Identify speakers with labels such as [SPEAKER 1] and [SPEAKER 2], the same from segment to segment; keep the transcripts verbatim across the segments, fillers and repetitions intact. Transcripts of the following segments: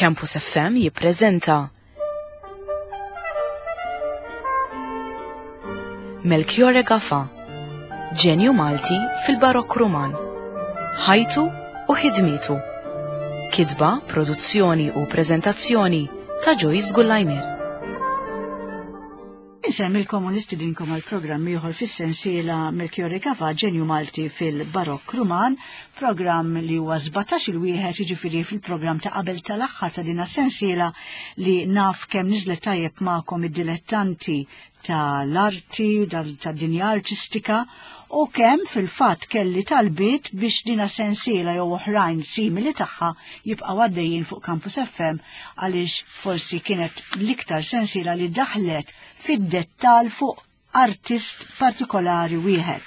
[SPEAKER 1] Campus F M jippreżenta Melchiorre Gafà, ġenju Malti fil-Barokk Ruman, ħajtu u ħidmietu. Kitba, produzzjoni u preżentazzjoni ta' Joyce Gullajmir.
[SPEAKER 2] Insemmilkom u nistidinkom għal programm ieħor fis-sensiela Melchiorre Gafà, ġenju Malti fil-Barokk Ruman, programm li huwa sbatax il-wieħed, jiġifieri fil-programm ta' qabel tal-aħħar ta' din is-sensiela li naf kemm niżlet tajjeb magħkom id-dilettanti tal-arti, tad-dinja artistika, u kemm fil-fatt kelli talbiet biex dina sensiela jew oħrajn simili tagħha jibqgħu għaddejjin fuq Campus F M, għaliex forsi kienet l-iktar sensiela li daħlet fid-dettal fuq artist partikolari wieħed.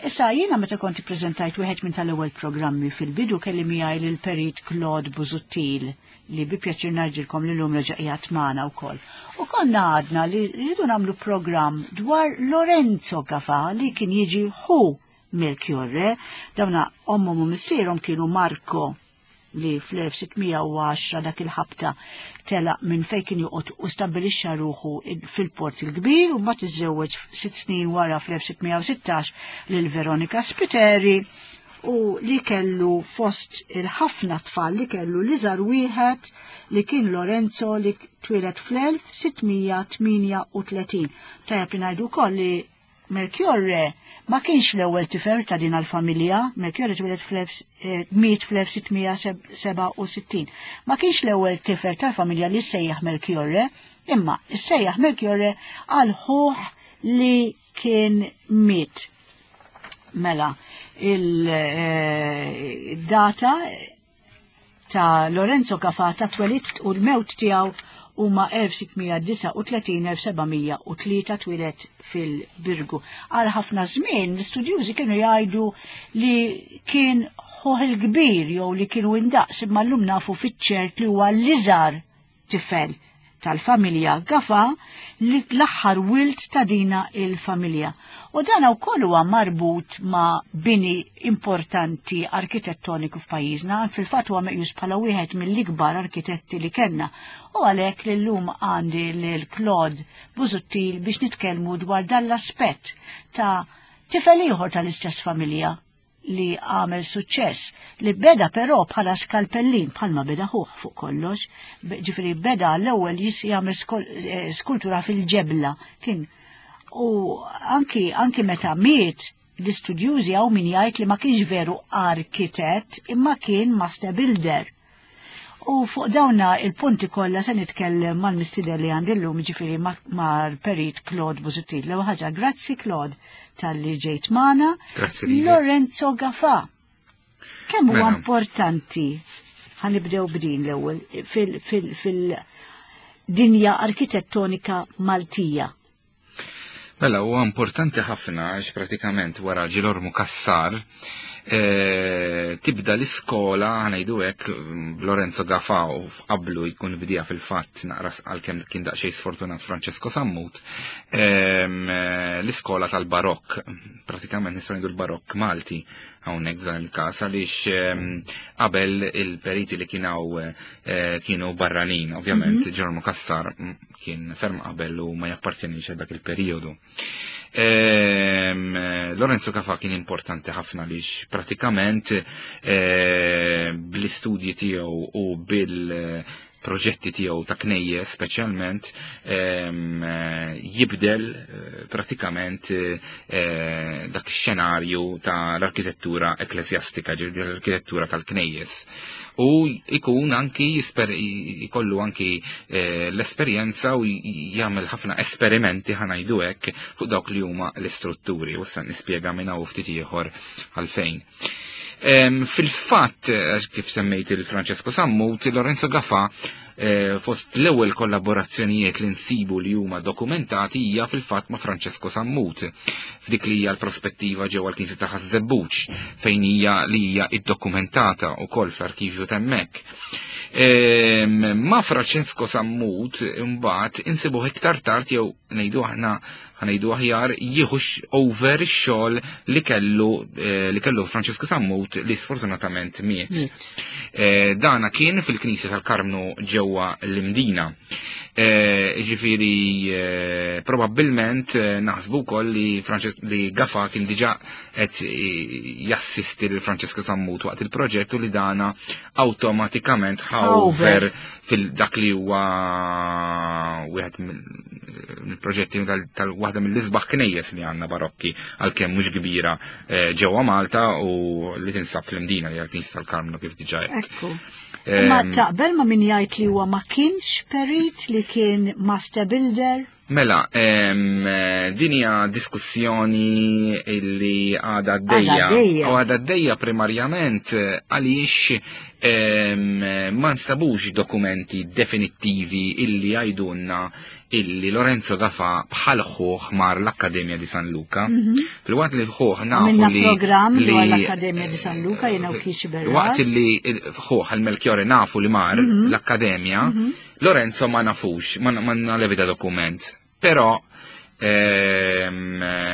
[SPEAKER 2] Issa jiena meta kont ippreżentajt wieħed minn tal-ewwel programmi fil-bidu kelli miegħi lil Perit Claude Busuttil li bi pjaċir ngħidilkom li llum reġa' qiegħed magħna wkoll. U konna għadna li rridu nagħmlu programm dwar Lorenzo Gafà li kien jiġi ħu Melchiorre. Dawna ommhom u missierhom kienu Marco li fl-elf sittmija u għaxra dak il-ħabta telaq minn fejn kien joqgħod u stabbilixxa ruħu fil-Port il-Kbir, u mbagħad iżżewweġ sitt snin wara fl-elf sittmija u sittax lil Veronika Spiteri, u li kellu fost il-ħafna tfal li kellu l-iżgħar wieħed li kien Lorenzo li twieled fl-elf sittmija tmienja u tletin. Tajjeb li ngħidu wkoll li Melchiorre ma kienx l-ewwel tifel ta' din għall-familja. Melchiorre twieled fl-elf, eh, miet fl-elf sittmija seba' u sittin. Ma kienx l-ewwel tifel tal-familja li sejjaħ Melchiorre, imma sejjaħ Melchiorre għal ħuh li kien miet. Mela, il-data ta' Lorenzo Gafà ta' twelid u l-mewt tiegħu huma elf sittmija disgħa u tletin, elf sebgħamija u tlieta, twieled fil-Birgu. Għal ħafna żmien l-istudjużi kienu jgħidu li kien ħuh il-kbir jew li kienu indaqs, imma llum nafu fiċ-ċert li huwa l-iżgħar tifel tal-familja Gafà, li l-aħħar wild ta' dina il-familja. U dan wkoll huwa marbut ma' bini importanti arkitettoniku f'pajjiżna, fil-fatt huwa meqjus bħala wieħed mill-ikbar arkitetti li kellna. U għalhekk li llum għandi lil Claude Busuttil biex nitkellmu dwar dan l-aspett ta' tifel ieħor tal-istess familja li għamel suċċess, li beda però bħala skalpellin, bħalma beda ħuh fuq kollox, ġifieri beda l-ewwel jis jagħmel skol-, eh, skultura fil-ġebla kien. U anki, anki meta miet l-istudjużi hawn min jgħid li ma kienx veru arkitett imma kien master builder. U fuq dawna il-punti kollha se nitkellem mal-mistieden li għandi llum, ġifieri ma-, mal-Perit Claude Busuttil. L-ewwel ħaġa, grazzi Claude tal-li ġejt magħna.
[SPEAKER 3] Grazzi lilek.
[SPEAKER 2] Lorenzo Gafà. Kemm huwa
[SPEAKER 3] Mela.
[SPEAKER 2] importanti, ħanibdew b'din l-ewwel, fil-, fil-, fil-dinja arkitettonika Maltija.
[SPEAKER 3] Mela, huwa importanti ħafna għax pratikament wara Ġilormu Cassar, eh, tibda l-iskola, ħanejdu hekk, Lorenzo Gafà u qablu jkun bdija fil-fatt naqra għalkemm kien daqsxejn sfortunat Francesco Sammut, ehm, l-iskola tal-Barokk, pratikament nistgħu ngħidu l-Barokk Malti hawnhekk f'dan il-każ, għaliex, ehm, qabel il-periti li kien hawn, eh, kienu barranin, ovvjament
[SPEAKER 2] Mhm.
[SPEAKER 3] Ġilormu Cassar kien ferm qabel u ma jappartjenix għal dak il-perjodu. Ehm, Lorenzo Gafà kien importanti ħafna għaliex pratikament, eh, bl-istudji tiegħu u bil-proġetti tiegħu ta' knejjes speċjalment, ehm, jibdel, eh, pratikament, eh, dak ix-xenarju ta' l-arkitettura ekklesjastika, ġifieri l-arkitettura tal-knejjes. U jkun anki jisper-, jkollu anki, eh, l-esperjenza u j-, jagħmel ħafna esperimenti, ħanajdu hekk, fuq dawk li huma l-istrutturi, u issa nispjega minn hawn ftit ieħor għalfejn. Em, fil-fatt, għax kif semmejt il-Francesco Sammut, Lorenzo Gafà, eh, fost l-ewwel kollaborazzjonijiet li nsibu li huma dokumentati hija fil-fatt ma' Francesco Sammut, f'dik li hija l-prospettiva ġewwa l-Knisja ta' Ħaż-Żebbuġ, fejn hija li hija iddokumentata wkoll fl-arkivju t'hemmhekk. Ma Francesco Sammut imbagħad insibuh iktar tard jew ngħidu aħna ħa ngħidu aħjar jieħu over ix-xogħol li kellu li kellu Francesco Sammut li sfortunatament miet. Dana kien fil-Knisja tal-Karmnu ġewwa l-Imdina. Ġifieri probabbilment naħsbu wkoll li li Gafà kien diġà qed jassisti lil Francesco Sammut waqt il-proġett u li dana awtomatikament ħa over fil-dak li huwa wieħed mill-proġetti tal-waħda mill-isbaħ knejjes li għandna barokki għalkemm mhux kbira ġewwa Malta u li tinsab fl-Imdina li għal-Knisja tal-Karmnu kif diġà qed.
[SPEAKER 2] Ekku. Ma taqbel ma min jgħid li huwa ma kienx perit li kien master builder?
[SPEAKER 3] Mela, din hija diskussjoni illi għadha għaddejja. U għadha għaddejja primarjament għaliex ma nstabux dokumenti definittivi illi jgħidulna illi Lorenzo Gafà bħal ħuh mar l-Akkademja di San Luca. Fil-waqt li ħuh nafu li
[SPEAKER 2] programm dwar l-Akkademja di San Luca jiena u Kiċi Berras.
[SPEAKER 3] Waqt li ħuh il-Melchiorre nafu li mar l-Akkademja, Lorenzo ma nafux, ma l-ebda dokument. Però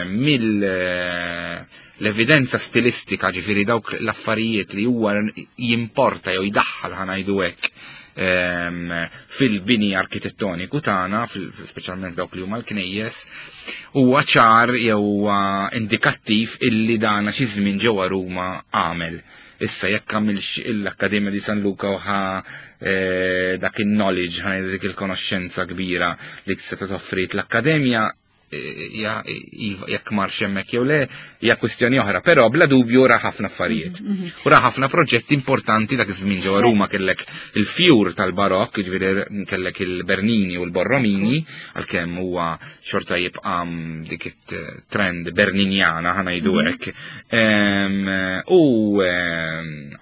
[SPEAKER 3] mill l-evidenza stilistika, ġifieri dawk l-affarijiet li huwa jimporta jew jdaħħal ħa ngħidu hekk fil-bini arkitettoniku tagħna, speċjalment dawk li huma l-knejjes, huwa ċar jew huwa indikattiv illi dana xi żmien ġewwa Ruma għamel. Issa jekk għamilx l-Akkademja di San Luca u ħa dak il-knowledge, ħa dik il-konoxxenza kbira li tista' toffrit l-Akkademja, jekk marx hemmhekk jew le, hija kwistjoni oħra, però bla dubju ra ħafna affarijiet. U ra ħafna proġetti importanti dak iż-żmien ġewwa Ruma kellek il-fjur tal-Barokk, jiġifieri kellek il-Bernini u l-Borromini, għalkemm huwa xorta jibqa' dik it-trend Berninjana ħa ngħidu hekk. U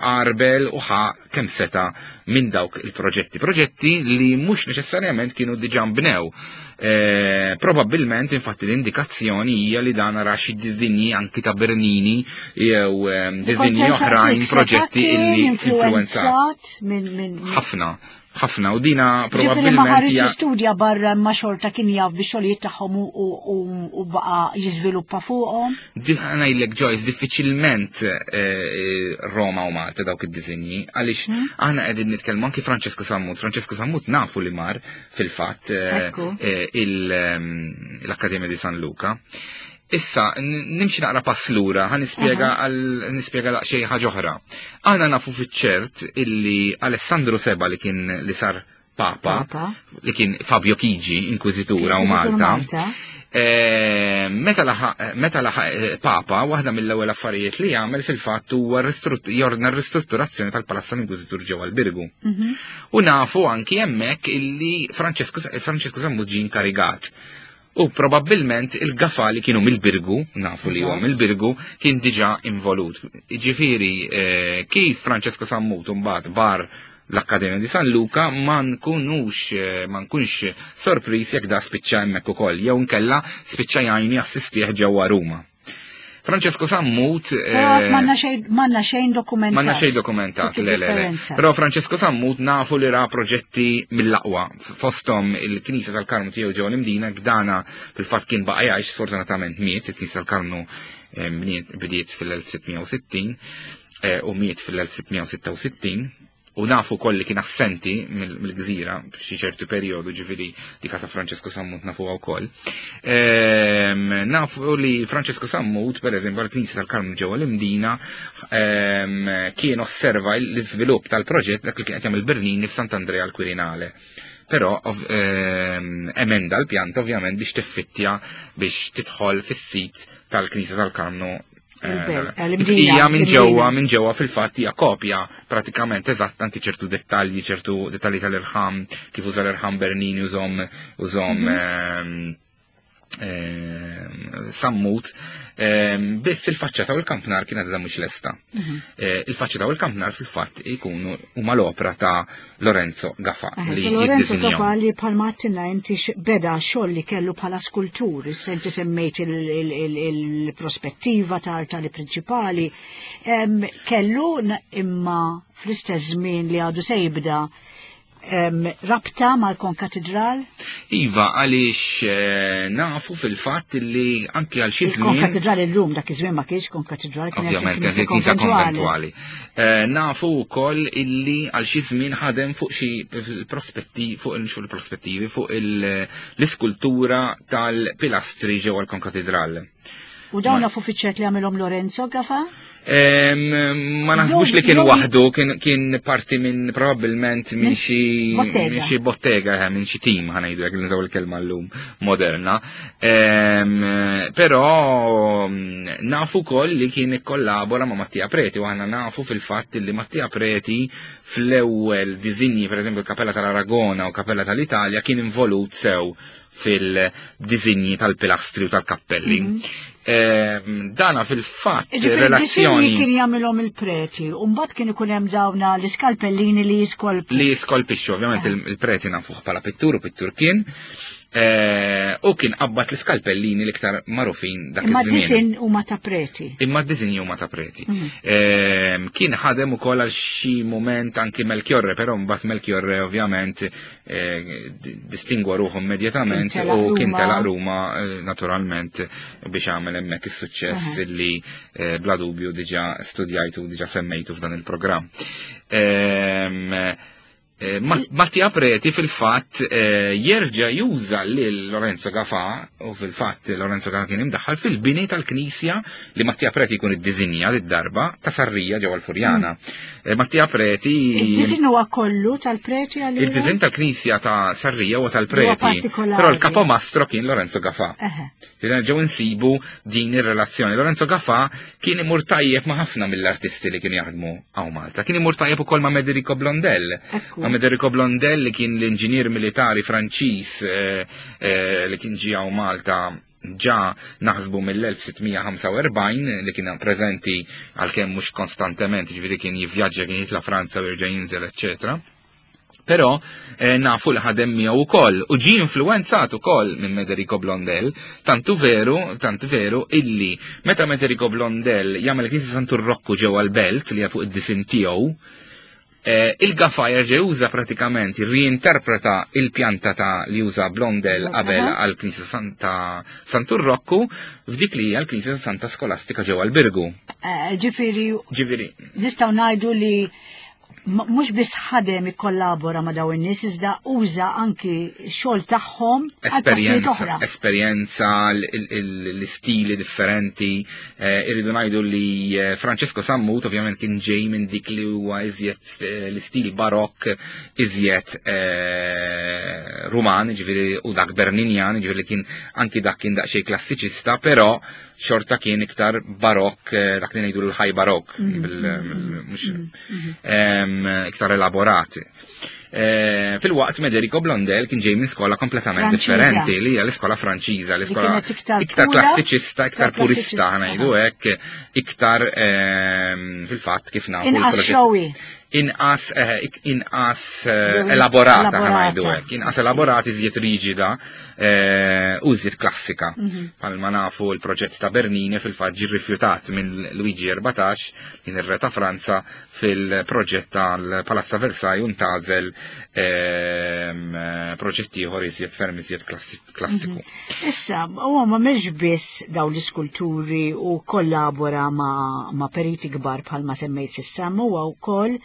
[SPEAKER 3] Arbel u ħa kemm seta' minn dawk il-proġetti, proġetti li mhux neċessarjament kienu diġà nbnew. Probabbilment infatti l-indikazzjoni hija li dan ra xi diżinji anki ta' Bernini jew diżinji oħrajn proġetti illi influenzat ħafna ħafna u dina probabbilment
[SPEAKER 2] ma ħareġ studja barra ma xorta kien jaf bix xogħlijiet tagħhom u baqa' jiżviluppa fuqhom.
[SPEAKER 3] Ngħidlek Joyce, diffiċilment Roma u Malta dawk id-diżinji għaliex aħna qegħdin nitkellmu anki Francesco Sammut. Francesco Sammut nafu li mar fil-fatt l-Akkademja di San Luca. Issa, nimxi naqra pass lura, ħa nispjega għal nispjega daqsxejn ħaġa oħra. Aħna nafu fiċ-ċert illi Alessandro Seba li kien li sar Papa, li kien Fabio Chigi, inkwiżitura u Malta. Meta laħaq Papa, waħda mill-ewwel affarijiet li jagħmel fil-fatt huwa jordna r-ristrutturazzjoni tal-Palazzo tal-Inkwiżitur ġewwa l-Birgu. U nafu anki hemmhekk illi Francesco Sammut ġie inkarigat. U probabbilment il-Gafà li kienu mill-Birgu, nafu li huwa mill-Birgu, kien diġà involut. Ġifieri kif Francesco Sammut mbagħad bar l-Akkademja di San Luca ma nkunux ma nkunx sorpriż jekk da spiċċa hemmhekk ukoll jew nkella spiċċa jgħin jassistih ġewwa Ruma. Francesco Sammut
[SPEAKER 2] M'għandna xejn dokumentat.
[SPEAKER 3] M'għandna xejn dokumentat, le le le. Però Francesco Sammut nafu li ra proġetti mill-aqwa. Fosthom il-Knisja tal-Karmnu tiegħu ġewwa l-Imdina, gdana fil-fatt kien baqa' jgħix, sfortunatament miet, il-Knisja tal-Karmnu bdiet fil-elf sitt mija u sittin u miet fil-elf sitt mija u sitta u sittin. U nafu koll li kien assenti mill-gżira f'xi ċertu perjodu, ġifieri dik ta' Francesco Sammut nafuha wkoll. Nafu li Francesco Sammut, per eżempju, għall-Knisja tal-Karmnu ġewwa l-Imdina, kien osserva l-iżvilupp tal-proġett dak li kien qed jagħmel Bernini f'Sant'Andrea l-Quirinale. Però emenda l-pjanta ovvjament biex tiffittja biex tidħol fis-sit tal-Knisja tal-Karmnu. Hija minn ġewwa, minn ġewwa fil-fatt hija kopja pratikament eżatt anki ċertu dettalji, ċertu dettalji tal-irħam, kif uża l-irħam Bernini użhom użhom eh, Sammut, eh, biss il-faċċata u l-kampnar kienet għadha mhux lesta.
[SPEAKER 2] Mhm.
[SPEAKER 3] Eh, Il-faċċata u l-kampnar fil-fatt ikunu huma l-opra ta' Lorenzo Gafà
[SPEAKER 2] Eh,
[SPEAKER 3] li
[SPEAKER 2] so Lorenzo
[SPEAKER 3] jiddisinjahom.
[SPEAKER 2] Gafà li bħalma għedtilna inti x- beda xogħol li kellu bħala skultur, issa inti semmejt il- il- il- il-prospettiva ta' artali prinċipali, Em, kellu n- imma fl-istess żmien li għadu se jibda em, rabta mal-konkatedral?
[SPEAKER 3] Iva, għaliex eh, nafu fil-fatt li anki għal xi żmien
[SPEAKER 2] Il-konkatedral illum dak iż-żmien ma kienx konkatedral, kienet xi
[SPEAKER 3] Ovvjament,
[SPEAKER 2] knisja
[SPEAKER 3] kienet knisja
[SPEAKER 2] konventuali.
[SPEAKER 3] konventuali. Eh, Nafu wkoll illi għal xi żmien ħadem fuq xi prospetti fuq il- fuq il-prospettivi fuq il- l-iskultura tal-pilastri ġewwa l-konkatedral.
[SPEAKER 2] U dawn
[SPEAKER 3] Ma-
[SPEAKER 2] nafu fiċ-ċert li għamilhom Lorenzo Gafà?
[SPEAKER 3] Em, Ma naħsbux li kien
[SPEAKER 2] Jew-
[SPEAKER 3] waħdu, kien, kien parti minn probabbilment minn
[SPEAKER 2] Minn
[SPEAKER 3] xi
[SPEAKER 2] bottega.
[SPEAKER 3] minn xi bottega, eh, minn xi team ħa ngħidu jekk nużaw il-kelma llum moderna. Em, Però mm, nafu wkoll li kien ikkollabora ma' Mattia Preti u aħna nafu fil-fatt li Mattia Preti fl-ewwel disinji, per eżempju il-Kapella tal-Aragona u Kapella tal-Italja kien involut sew fil-disinji tal-pilastri u tal-kappelli. Em, Dana fil-fatt
[SPEAKER 2] Ġifieri
[SPEAKER 3] relazzjoni
[SPEAKER 2] d-disinji kien jagħmilhom il-preti, u mbagħad kien ikun hemm dawna l-iskalpellini li jiskolpu.
[SPEAKER 3] li skolpixxu, ovvjament il- il-preti nafuh bħala pittur u pittur kien, eh, u kien qabbat l-iskalpellini l-iktar magħrufin dak
[SPEAKER 2] Imma
[SPEAKER 3] iż-żmien.
[SPEAKER 2] d-disin huma ta' preti.
[SPEAKER 3] Imma d-disinji huma ta' preti.
[SPEAKER 2] Mhm.
[SPEAKER 3] Ehm, Kien ħadem ukoll għal xi moment anki Melchiorre, però mbagħad Melchiorre ovvjament eh, di- distingwa ruħu immedjatament
[SPEAKER 2] Kien telaq
[SPEAKER 3] u kien
[SPEAKER 2] Ruma.
[SPEAKER 3] telaq Ruma eh, naturalment biex għamel hemmhekk is-suċċess li eh, bla dubju diġà studjajtu diġà semmejtu f'dan il-programm. Ehm, eh, Ma- Mattia Preti fil-fatt eh, jerġa' juża lil Lorenzo Gafà u fil-fatt Lorenzo Gafà kien imdaħħal fil-bini tal-knisja li Mattia Preti jkun iddisinja d-darba ta' Sarrija ġewwa l-Furjana. Eh, Mattia Preti
[SPEAKER 2] Il-disin huwa kollu tal-preti għalina?
[SPEAKER 3] il-diżin tal-knisja ta' Sarrija huwa
[SPEAKER 2] Huwa
[SPEAKER 3] tal-Preti,
[SPEAKER 2] partikolari.
[SPEAKER 3] però l-kapomastro kien Lorenzo Gafà.
[SPEAKER 2] Eħe.
[SPEAKER 3] Ġew insibu din ir-relazzjoni. Lorenzo Gafà kien imur tajjeb ma' ħafna mill-artisti li kienu jaħdmu hawn Malta. Kien imur tajjeb ukoll ma' Mederico Blondel.
[SPEAKER 2] Ekku.
[SPEAKER 3] Ma' Mederico Blondel li kien l-inġinier militari Franċiż eh, eh, li kien ġie hawn Malta ġa naħsbu mill-elf sitt mija ħamsa u erbgħin li kien preżenti, għalkemm mhux konstantement, ġifieri kien jivvjaġġa, kien jitla' Franza u jerġa' jinżel, eċċetera. Però eh, nafu li ħadem miegħu ukoll u ġie influenzat ukoll minn Mederico Blondel, tantu veru, tantu veru illi meta Mederico Blondel jagħmel knisja Santu Rokku ġewwa l-Belt li hija fuq id-disin tiegħu, eh, il-Gafà jerġa' juża pratikament, riinterpreta il-pjanta ta' li juża Blondel qabel
[SPEAKER 2] Aha.
[SPEAKER 3] għal knisja Santa Santu Rokku f'dik li hija l-knisja Santa Skolastika ġewwa l-Birgu.
[SPEAKER 2] Eh, Ġifieri
[SPEAKER 3] Ġifieri,
[SPEAKER 2] nistgħu ngħidu li m- mhux biss ħadem ikkollabora ma' dawn in-nies, iżda uża anki xogħol tagħhom għal postijiet
[SPEAKER 3] esperjenza,
[SPEAKER 2] oħra.
[SPEAKER 3] esperjenza, l- l- l- l-istili differenti. eh, Irridu ngħidu li eh, Francesco Sammut ovvjament kien ġej minn dik li huwa iżjed eh, l-istil barokk iżjed eh, Ruman, ġifieri u dak Berninjan, ġifieri kien anki dak kien daqsxejn klassiċista, però xorta kien iktar barokk, eh, dak li ngħidu l-high barokk, bil- bil- mhux em, iktar elaborat. Eh, Fil-waqt Mederico Blondel kien ġej minn skola kompletament
[SPEAKER 2] Franċiża.
[SPEAKER 3] differenti, li hija l-iskola Franċiża, l-iskola
[SPEAKER 2] kienet iktar
[SPEAKER 3] iktar
[SPEAKER 2] pura,
[SPEAKER 3] klassiċista, iktar
[SPEAKER 2] iktar
[SPEAKER 3] purista,
[SPEAKER 2] klassiċista,
[SPEAKER 3] ħa ngħidu hekk, iktar ehm, fil-fatt kif nafu
[SPEAKER 2] Inqas
[SPEAKER 3] l-proġett-
[SPEAKER 2] showy.
[SPEAKER 3] inqas eh, ik- inqas eh,
[SPEAKER 2] Jew
[SPEAKER 3] elaborata
[SPEAKER 2] elaborata.
[SPEAKER 3] ħa ngħidu hekk, inqas elaborata, iżjed riġida eh, u iżjed klassika.
[SPEAKER 2] Mhm.
[SPEAKER 3] Palma nafu l-proġett ta' Bernini fil-fatt ġie rrifjutat minn Luigi erbatax, kien ir-re ta' Franza, fil-proġett tal-Palazzo Versailles u ntgħażel ehm, eh, proġett ieħor iżjed ferm iżjed klassi- klassiku.
[SPEAKER 2] Issa, huwa ma mhux biss dawn l-iskulturi u kollabora ma, ma periti kbar bħalma semmejt s'issa, ma huwa wkoll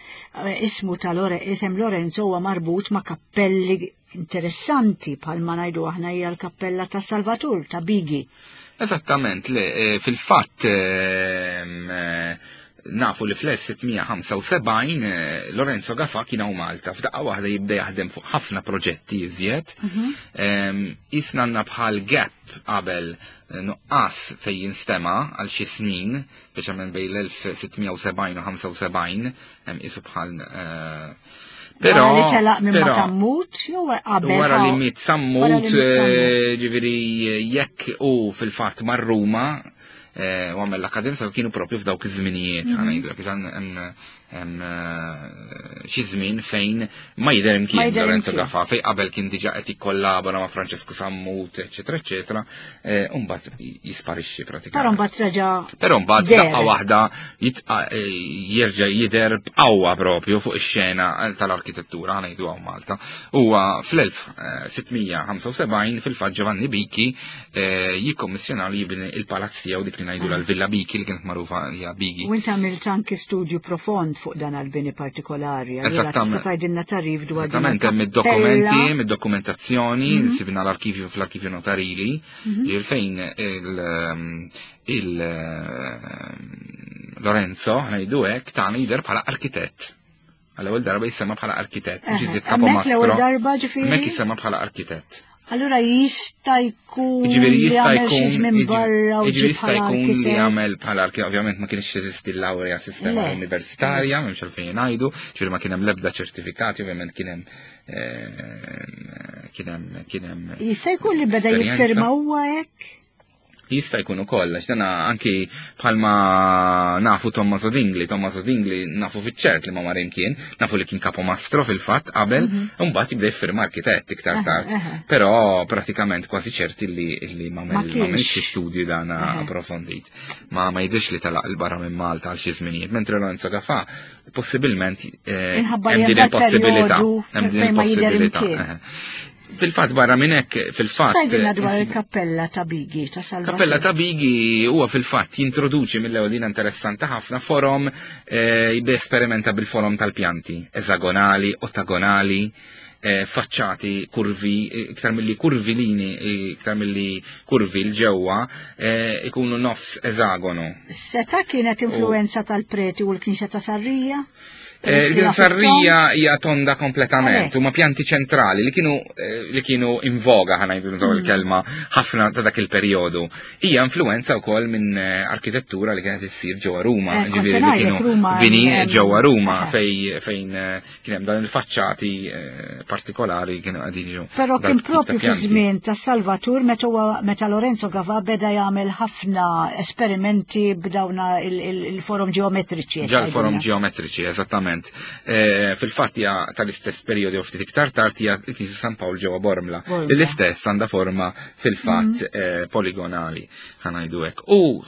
[SPEAKER 2] eh, ismu ta' Lore, isem Lorenzo huwa marbut ma' kappelli interessanti bħalma ngħidu aħna hija l-kappella ta' Salvatur ta' Bigi.
[SPEAKER 3] Eżattament, le, eh, fil-fatt ehm, eh, nafu li fl-elf sitt mija ħamsa u sebgħin eh, Lorenzo Gafà kien hawn Malta. F'daqqa waħda jibda jaħdem fuq ħafna proġetti iżjed. Ehm, Isna għandna bħal gap qabel eh, nuqqas fej jinstema għal xi snin, speċjalment bejn l-elf sitt mija u sebgħin u ħamsa u sebgħin, hemm isu bħal eh, Però
[SPEAKER 2] Wara li telaq minn ma' Sammut, jew qabel?
[SPEAKER 3] Wara li miet Sammut, ġifieri jekk u fil-fatt mar Ruma u għamel l-akkademja kienu propju f'dawk iż-żminijiet, ħa ngħidlek, hemm xi żmien fejn ma jidher imkien Lorenzo Gafà, fejn qabel kien diġà qed jikkollabora ma' Francesco Sammut, eċetera, eċetera, u mbagħad jisparixxi pratikament.
[SPEAKER 2] Però mbagħad reġa'
[SPEAKER 3] Però mbagħad daqqa waħda jerġa' jidher b'qawwa propju fuq ix-xena tal-arkitettura, ħa ngħidu hawn Malta. Huwa fl-elf sitt mija ħamsa u sebgħin fil-fatt Giovanni Bicchi jikkommissjona li jibni il-palazz tiegħu, dik li ngħidu l-Villa Bicchi, li kienet magħrufa hija Bigi.
[SPEAKER 2] U inti għamilt anki studju profond fuq dan għal-bini partikolari. Allura tista' tgħidilna tarif dwar din
[SPEAKER 3] Esattament, hemm id-dokumenti, hemm id-dokumentazzjoni, sibna l-arkivju fl-arkivju notarili, fejn il Lorenzo, ngħidu hekk, tagħna jidher bħala arkitett. Għall-ewwel darba jissemma bħala arkitett, mhux iżjed
[SPEAKER 2] Hemmhekk l-ewwel darba, ġifieri?
[SPEAKER 3] Hemmhekk jissemma bħala arkitett.
[SPEAKER 2] Allura jista' jkun
[SPEAKER 3] Ġifieri
[SPEAKER 2] li
[SPEAKER 3] jista'
[SPEAKER 2] għamel xi
[SPEAKER 3] jkun
[SPEAKER 2] żmien barra u
[SPEAKER 3] ġifieri
[SPEAKER 2] ġie
[SPEAKER 3] jista'
[SPEAKER 2] bħala
[SPEAKER 3] jkun li
[SPEAKER 2] arkitett.
[SPEAKER 3] għamel bħala arkitett, ovvjament ma kienx teżisti l-laurea sistema
[SPEAKER 2] Le.
[SPEAKER 3] universitarja, m'hemmx għalfejn ngħidu, ġifieri ma kien hemm l-ebda ċertifikati, ovvjament kien hemm eh, kien hemm kien hemm
[SPEAKER 2] Jista' jkun li beda
[SPEAKER 3] esperjenza.
[SPEAKER 2] jiffirma huwa hekk?
[SPEAKER 3] Jista' jkun ukoll, għax dana anki bħalma nafu Tommaso Dingli, Tommaso Dingli nafu fiċ-ċert li ma mar imkien, nafu li kien kapomastro fil-fatt qabel, u mbagħad jibda jiffirma arkitett iktar tard. Però pratikament kważi ċerti li, li ma
[SPEAKER 2] Ma
[SPEAKER 3] ma
[SPEAKER 2] kienx.
[SPEAKER 3] xi studju dana approfondit. Ma ma jidhirx li telaq 'il barra minn Malta għal xi żminijiet, mentre Lorenzo Gafà possibilment eh,
[SPEAKER 2] Minħabba li
[SPEAKER 3] hemm din
[SPEAKER 2] hemm
[SPEAKER 3] il-possibilità,
[SPEAKER 2] perjodu
[SPEAKER 3] hemm din
[SPEAKER 2] fejn ma jidher
[SPEAKER 3] il-possibilità.
[SPEAKER 2] imkien.
[SPEAKER 3] eh. Fil-fatt barra minn hekk, fil-fatt
[SPEAKER 2] X'tgħidilna dwar il-kappella ta' Bigi ta' Salvatore?
[SPEAKER 3] Kappella ta' Bigi huwa fil-fatt jintroduċi mill-ewwel din interessanti ħafna forom, eh, jibda esperimenta bil-forom tal-pjanti, eżagonali, ottagonali, eh, faċċati kurvi, eh, iktar milli kurvilini, eh, iktar milli kurvi 'l ġewwa, eh, ikunu nofs eżagonu.
[SPEAKER 2] Seta kienet influenza tal-preti u l-Knisja ta' Sarrija?
[SPEAKER 3] Eh,
[SPEAKER 2] Peress li
[SPEAKER 3] Il Sarrija
[SPEAKER 2] tond?
[SPEAKER 3] hija tonda kompletament,
[SPEAKER 2] Għalhekk.
[SPEAKER 3] huma pjanti ċentrali li kienu eh, li kienu in voga, ħa ngħidu nużaw il-kelma, ħafna ta' dak il-perjodu. Hija influenza wkoll minn eh, arkitettura li kienet issir ġewwa Ruma,
[SPEAKER 2] Eh, kont
[SPEAKER 3] ġifieri
[SPEAKER 2] se
[SPEAKER 3] li
[SPEAKER 2] ngħidlek,
[SPEAKER 3] kienu
[SPEAKER 2] Ruma
[SPEAKER 3] bini
[SPEAKER 2] hemm-
[SPEAKER 3] ġewwa Ruma
[SPEAKER 2] eh.
[SPEAKER 3] fej fejn eh, kien hemm dan il-faċċati eh, partikolari kienu qegħdin jiġu
[SPEAKER 2] Però kien
[SPEAKER 3] dal-tip ta'
[SPEAKER 2] propju fi
[SPEAKER 3] pjanti.
[SPEAKER 2] żmien ta' Salvatur meta huwa- meta Lorenzo Gafà beda jagħmel ħafna esperimenti b'dawna il- il- il-forom ġeometriċi.
[SPEAKER 3] Ġa l-forom ġeometriċi, eżattament. Eh, Fil-fatt hija tal-istess perjodu jew ftit iktar tard hija l-Knisja San Pawl ġewwa Bormla.
[SPEAKER 2] Bormla.
[SPEAKER 3] Li l-istess għandha forma fil-fatt eh, poligonali, ħa ngħidu hekk. U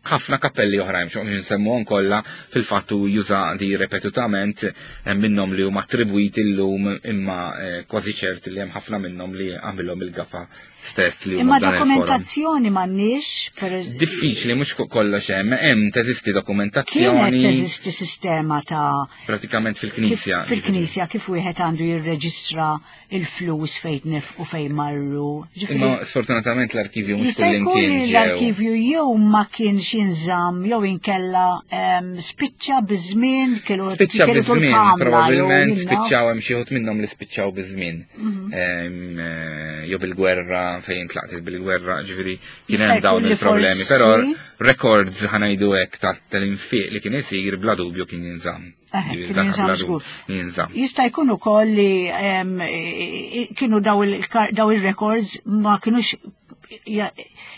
[SPEAKER 3] ħafna kappelli oħrajn, xo nsemmuhom kollha, fil-fatt u juża di ripetutament, hemm minnhom li huma attribwiti llum imma eh, kważi ċert li hemm ħafna minnhom li għamilhom il-Gafà stess li huma
[SPEAKER 2] Imma
[SPEAKER 3] b'dan il-forum.
[SPEAKER 2] dokumentazzjoni m'għandniex per
[SPEAKER 3] Diffiċli, mhux fuq kollox hemm, hemm teżisti
[SPEAKER 2] Kienet
[SPEAKER 3] dokumentazzjoni
[SPEAKER 2] teżisti sistema ta'
[SPEAKER 3] pratikament
[SPEAKER 2] kif-
[SPEAKER 3] fil-Knisja.
[SPEAKER 2] fil-Knisja kif wieħed għandu jirreġistra il-flus fejn nefqu, fejn marru. Ġifieri,
[SPEAKER 3] Imma sfortunatament l-arkivju mhux
[SPEAKER 2] jista' jkun
[SPEAKER 3] kullimkien
[SPEAKER 2] li
[SPEAKER 3] ġew.
[SPEAKER 2] l-arkivju jew ma kienx jinżamm jew inkella em, spiċċa biż-żmien kienu
[SPEAKER 3] Spiċċa
[SPEAKER 2] kienu
[SPEAKER 3] biż-żmien,
[SPEAKER 2] tul-kamra, jew
[SPEAKER 3] probabbilment
[SPEAKER 2] jinna.
[SPEAKER 3] spiċċaw, hemm xi wħud minnhom li spiċċaw biż-żmien.
[SPEAKER 2] Mhm.
[SPEAKER 3] Em, eh, Jew bil-gwerra, fejn tlaqtet bil-gwerra, ġifieri kien
[SPEAKER 2] Jista'
[SPEAKER 3] hemm dawn
[SPEAKER 2] jkun li
[SPEAKER 3] il-problemi,
[SPEAKER 2] forsi-
[SPEAKER 3] però records, ħa ngħidu hekk, tal-infiq li kien isir bla dubju kien jinżamm.
[SPEAKER 2] Eh,
[SPEAKER 3] Ġifieri
[SPEAKER 2] kien
[SPEAKER 3] dak
[SPEAKER 2] jinżamm
[SPEAKER 3] bla
[SPEAKER 2] żgur.
[SPEAKER 3] dubju jinżamm.
[SPEAKER 2] Jista' jkun ukoll li em, i- i- kienu daw il- daw il-records ma kienux ja-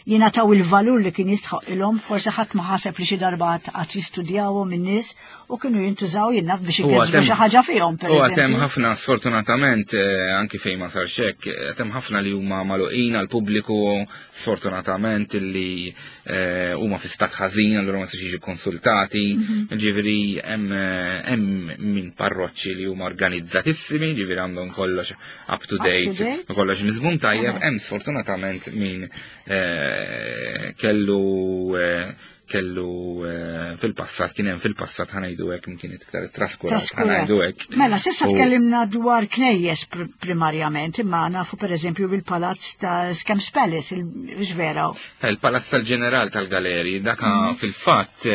[SPEAKER 2] jingħataw il-valur li kien jistħoq ilhom, forsi ħadd ma ħaseb li xi darba għad jistudjawhom in-nies u kienu jintużaw jinnaf biex
[SPEAKER 3] U
[SPEAKER 2] ikisbu
[SPEAKER 3] għatem-
[SPEAKER 2] xi ħaġa fihom per
[SPEAKER 3] U għad hemm
[SPEAKER 2] eżempju.
[SPEAKER 3] ħafna sfortunatament, eh, anki fejn ma sar hekk, għad hemm ħafna li huma magħluqin għal pubbliku sfortunatament li eh, huma fi stat ħażin, allura ma jistax jiġu konsultati,
[SPEAKER 2] Mhm.
[SPEAKER 3] ġifieri hemm eh, hemm min parroċċi li huma organizzatissimi, ġifieri għandhom kollox up to
[SPEAKER 2] Up to
[SPEAKER 3] date,
[SPEAKER 2] date.
[SPEAKER 3] u kollox miżmum tajjeb,
[SPEAKER 2] Aha.
[SPEAKER 3] hemm sfortunatament min eh, kellu eh, kellu eh, fil-passat, kien hemm fil-passat, ħa ngħidu hekk, kien iktar traskurat,
[SPEAKER 2] Traskurat.
[SPEAKER 3] ħa ngħidu hekk.
[SPEAKER 2] Mela, s'issa
[SPEAKER 3] U-
[SPEAKER 2] tkellimna dwar knejjes pr primarjament, imma nafu per eżempju bil-palazz ta' Scamp's Palace, il vera.
[SPEAKER 3] Eh, Il-Palazz tal-Ġeneral tal-Galeri, daka
[SPEAKER 2] Mhm.
[SPEAKER 3] fil-fatt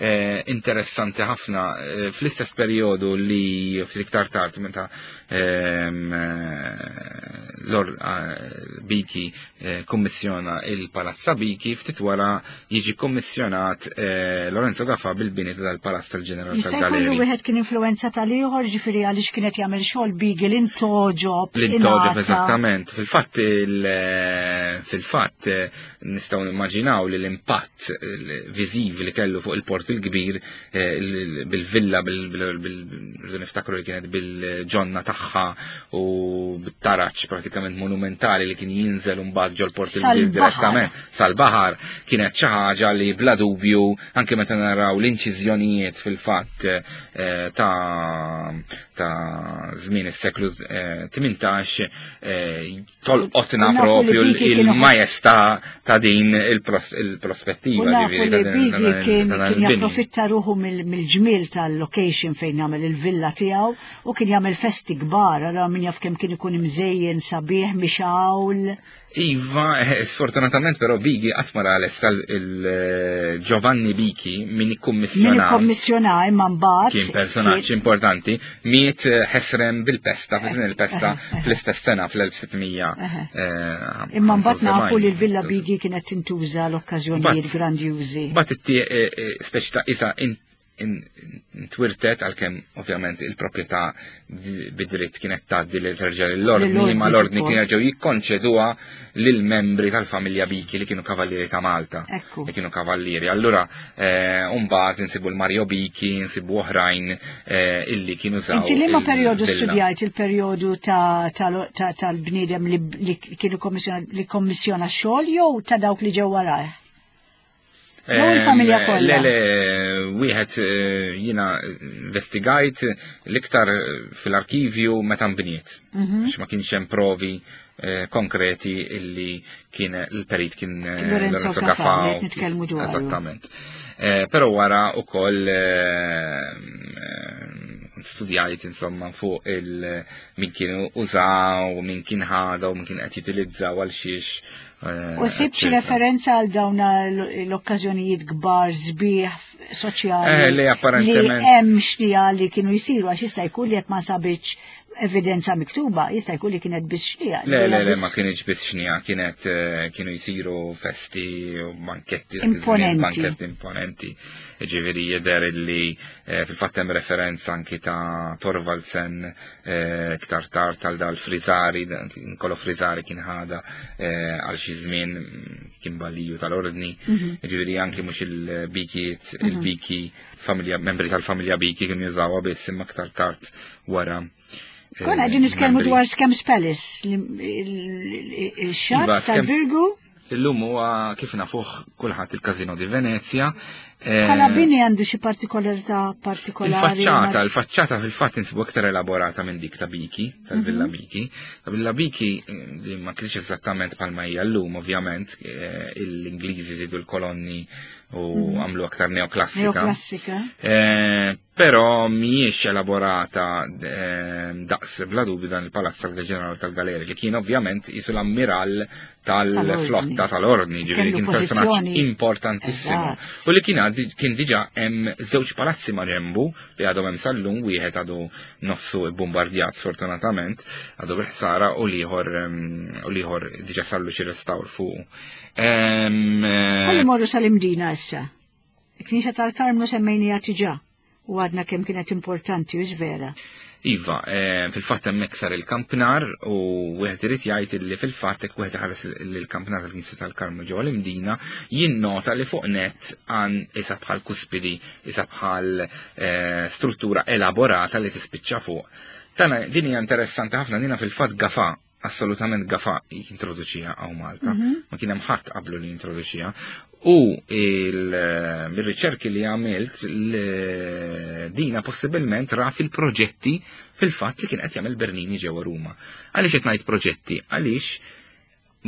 [SPEAKER 3] eh, interessanti ħafna, eh, fl-istess perjodu li fl-iktar tard meta ehm, eh, l-or- eh, Biki eh, kummissjona il-Palazz ta' Biki, ftit wara jiġi kummissjonat eh, Lorenzo Gafà bil-bini tal-Palazz tal-Ġeneral
[SPEAKER 2] Jista' jkollu
[SPEAKER 3] tal-Galeri.
[SPEAKER 2] Wieħed kien influenza tal-ieħor, ġifieri għaliex kienet jagħmel xogħol Bigi l-intoġob.
[SPEAKER 3] L-intoġob,
[SPEAKER 2] ingħata.
[SPEAKER 3] Eżattament. Fil-fatt il- fil-fatt eh, nistgħu nimmaġinaw li l-impatt eh, viżiv li kellu fuq il-Port il-Kbir eh, il- bil-villa, bil- bil- bil- rridu niftakru li kienet bil-ġonna tagħha u bit-taraċ pratikament monumentali li kien jinżel mbagħad ġol Port il-Kbir
[SPEAKER 2] Sal-baħar.
[SPEAKER 3] direttament sal-baħar, kienet xi ħaġa li bla dubju anke meta naraw l-inċiżjonijiet fil-fatt eh, ta' ta' żmien is-seklu eh, tmintax eh, tolqotna
[SPEAKER 2] U nafu li
[SPEAKER 3] propju
[SPEAKER 2] Biki kienu-
[SPEAKER 3] il-majestà ta' din il-pros-
[SPEAKER 2] U
[SPEAKER 3] il-prospettiva
[SPEAKER 2] nafu
[SPEAKER 3] ġifieri
[SPEAKER 2] li
[SPEAKER 3] ta' din-
[SPEAKER 2] Bigi
[SPEAKER 3] ta' dan-
[SPEAKER 2] kien
[SPEAKER 3] ta' dan
[SPEAKER 2] kien
[SPEAKER 3] il-bini.
[SPEAKER 2] japprofitta ruħu mill- mill-ġmiel tal-location fejn jagħmel il-villa tiegħu u kien jagħmel festi kbar, allura min jaf kemm kien ikun imżejjen sabiħ mixgħul.
[SPEAKER 3] Iva, eh, sfortunatament però Bigi qatt ma ra lesta il-Giovanni Biki min
[SPEAKER 2] Min
[SPEAKER 3] ikkummissjona
[SPEAKER 2] ikkommissjona imma mbagħad
[SPEAKER 3] kien personaġġ importanti, miet eh, ħesrem bil-pesta, fi żmien il-pesta fl-istess sena fl-elf sitt mija.
[SPEAKER 2] Eħe. Imma mbagħad nafu li l-Villa Bigi kienet tintuża l-okkażjonijiet
[SPEAKER 3] Mbagħad-
[SPEAKER 2] grandjużi.
[SPEAKER 3] Bat speċi ta' isa in- in- intwirtet, għalkemm ovvjament il-proprjetà bid-dritt kienet tgħaddi li terġa' l-ordni,
[SPEAKER 2] Lill-ordni,
[SPEAKER 3] ma l-ordni
[SPEAKER 2] suppost.
[SPEAKER 3] kien ġew jikkonċeduha lill-membri tal-familja Biki li kienu kavallieri ta' Malta.
[SPEAKER 2] Ekku.
[SPEAKER 3] Li kienu kavallieri. Allura, eh, mbagħad insibu l-Mario Biki, insibu oħrajn eh, illi kienu żaw.
[SPEAKER 2] Inti liema perjodu
[SPEAKER 3] il-villa.
[SPEAKER 2] studjajt, il-perjodu ta' ta- ta- tal-bniedem li, li kienu kommissjona li kommissjona xogħol jew ta' dawk li ġew warajh? Jew il-familja
[SPEAKER 3] Em,
[SPEAKER 2] kollha?
[SPEAKER 3] Le, le, wieħed eh, jiena investigajt l-iktar fil-arkivju meta nbniet.
[SPEAKER 2] Mhm.
[SPEAKER 3] Għax ma kienx hemm provi eh, konkreti illi kien il-perit kien eh,
[SPEAKER 2] Lorenzo
[SPEAKER 3] Lorenzo
[SPEAKER 2] Gafà,
[SPEAKER 3] Gafà.
[SPEAKER 2] li qed nitkellmu dwaru.
[SPEAKER 3] Eżattament. Eh, Però wara ukoll eh, eh, studjajt insomma fuq il min kienu użaw, min kien ħada u min kien qed jutilizzaw għal xiex. eh,
[SPEAKER 2] U sibt xi
[SPEAKER 3] eccetera.
[SPEAKER 2] referenza għal dawn l-okkażjonijiet kbar sbieħ soċjali
[SPEAKER 3] Eh, li apparentement-
[SPEAKER 2] li hemm xnija li kienu jsiru, għax jista' jkun li jekk ma sabitx evidenza miktuba, jista' jkun li kienet biss xnija.
[SPEAKER 3] Le, le, le, ma kienx biss xnija, kienet eh, kienu jisiru festi u banketti, dak iż-żmien,
[SPEAKER 2] Imponenti.
[SPEAKER 3] Banketti imponenti. Ġifieri jidher illi eh, fil-fatt hemm referenza anki ta' Thorvaldsen eh, iktar tard tal dal Frisari, Niccolo Frisari kien ħada eh, għal xi żmien mm, kien baliju tal-ordni.
[SPEAKER 2] Mhm.
[SPEAKER 3] Ġifieri anki mhux il-Bikiet, il-Biki familja, membri tal-familja Biki kienu jużawha biss, imma aktar tard wara. eh,
[SPEAKER 2] Konna qegħdin nitkellmu
[SPEAKER 3] membri.
[SPEAKER 2] dwar Skemps Palace, li- il-xatt
[SPEAKER 3] Iva, Skems-
[SPEAKER 2] tal-Birgu,
[SPEAKER 3] Illum huwa kif nafuh kulħadd il-Casino di Venezia. Eh,
[SPEAKER 2] bħala bini għandu xi partikolarità partikolari?
[SPEAKER 3] Il-faċċata, il-faċċata fil-fatt insibu aktar elaborata minn dik ta' Biki, tal-Villa
[SPEAKER 2] Mhm.
[SPEAKER 3] Biki. Ta' Villa Biki eh, li ma kienx eżattament bħalma hija llum, ovvjament, eh, l-Ingliżi zidu l-kolonni u għamlu aktar neoklassika.
[SPEAKER 2] Neoklassika.
[SPEAKER 3] Eh, però mhijiex elaborata eh, daqs bla dubju dan il-Palazz tal-Ġenerali tal-Galeri li kien ovvjament isu l-ammiral tal-flotta tal-ordni, ġifieri
[SPEAKER 2] Kellu
[SPEAKER 3] kien personaġġ
[SPEAKER 2] pożizzjoni-
[SPEAKER 3] importantissimo.
[SPEAKER 2] Eżatt.
[SPEAKER 3] U li kien għaddi- kien diġà hemm żewġ palazzi ma' ġembu li għadhom hemm sal-lum, wieħed għadu nofsu bombardjat sfortunatament, għadu bil-ħsara, u l-ieħor em, u l-ieħor diġà sarlu xi restawr fuq. Em, eh,
[SPEAKER 2] Ħalli morru sal-Imdina issa. Il-Knisja tal-Karmnu semmejnija diġà u għadna kemm kienet importanti u vera.
[SPEAKER 3] Iva, eh, fil-fatt hemmhekk sar il-kampnar u wieħed irid jgħid li fil-fatt hekk wieħed iħares il-kampnar tal-Knisja tal-Karmnu ġewwa l-Imdina jinnota li fuq net għan isa bħal kuspidi, isa bħal eh, struttura elaborata li tispiċċa fuq. Tana din hija interessanti ħafna, dina fil-fatt Gafa, assolutament Gafa jintroduċija hawn Malta. Ma kien hemm ħadd qablu li jintroduċija. U il-riċerki li għamilt l- dina possibilment ra fil-proġetti fil-fatt li kien qed jagħmel Bernini ġewwa Ruma. Għaliex qed ngħid proġetti? Għaliex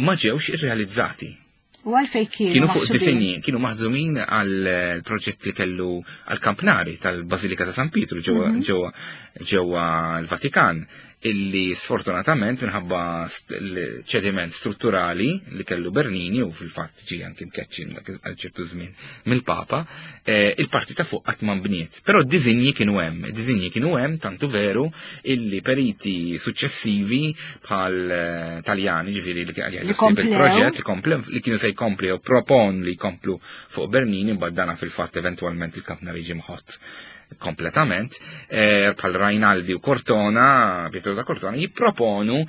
[SPEAKER 3] ma ġewx irrealizzati.
[SPEAKER 2] U għalfej kienu
[SPEAKER 3] Kienu fuq
[SPEAKER 2] maħsubin?
[SPEAKER 3] disinji, kienu maħdumin għal proġett li kellu għal kampnari tal-Bażilika ta' San Pietru ġewwa ġewwa ġewwa l-Vatikan. Illi sfortunatament minħabba ċediment strutturali li kellu Bernini u fil-fatt ġie anki mkeċċi għal ċertu żmien mill-Papa, eh, il-parti ta' fuq qatt ma nbniet. Però d-diżinji kienu hemm, id-diżinji kienu hemm tantu veru illi periti suċċessivi bħal eh, Taljani, ġifieri li
[SPEAKER 2] Li komplew.
[SPEAKER 3] il-proġett li komplew li kienu se jkompli u propon li jkomplu fuq Bernini, mbagħad dana fil-fatt eventwalment il-kampnar jiġi mħott kompletament, eh, bħal Rainaldi u Cortona, Pietro da Cortona, jipproponu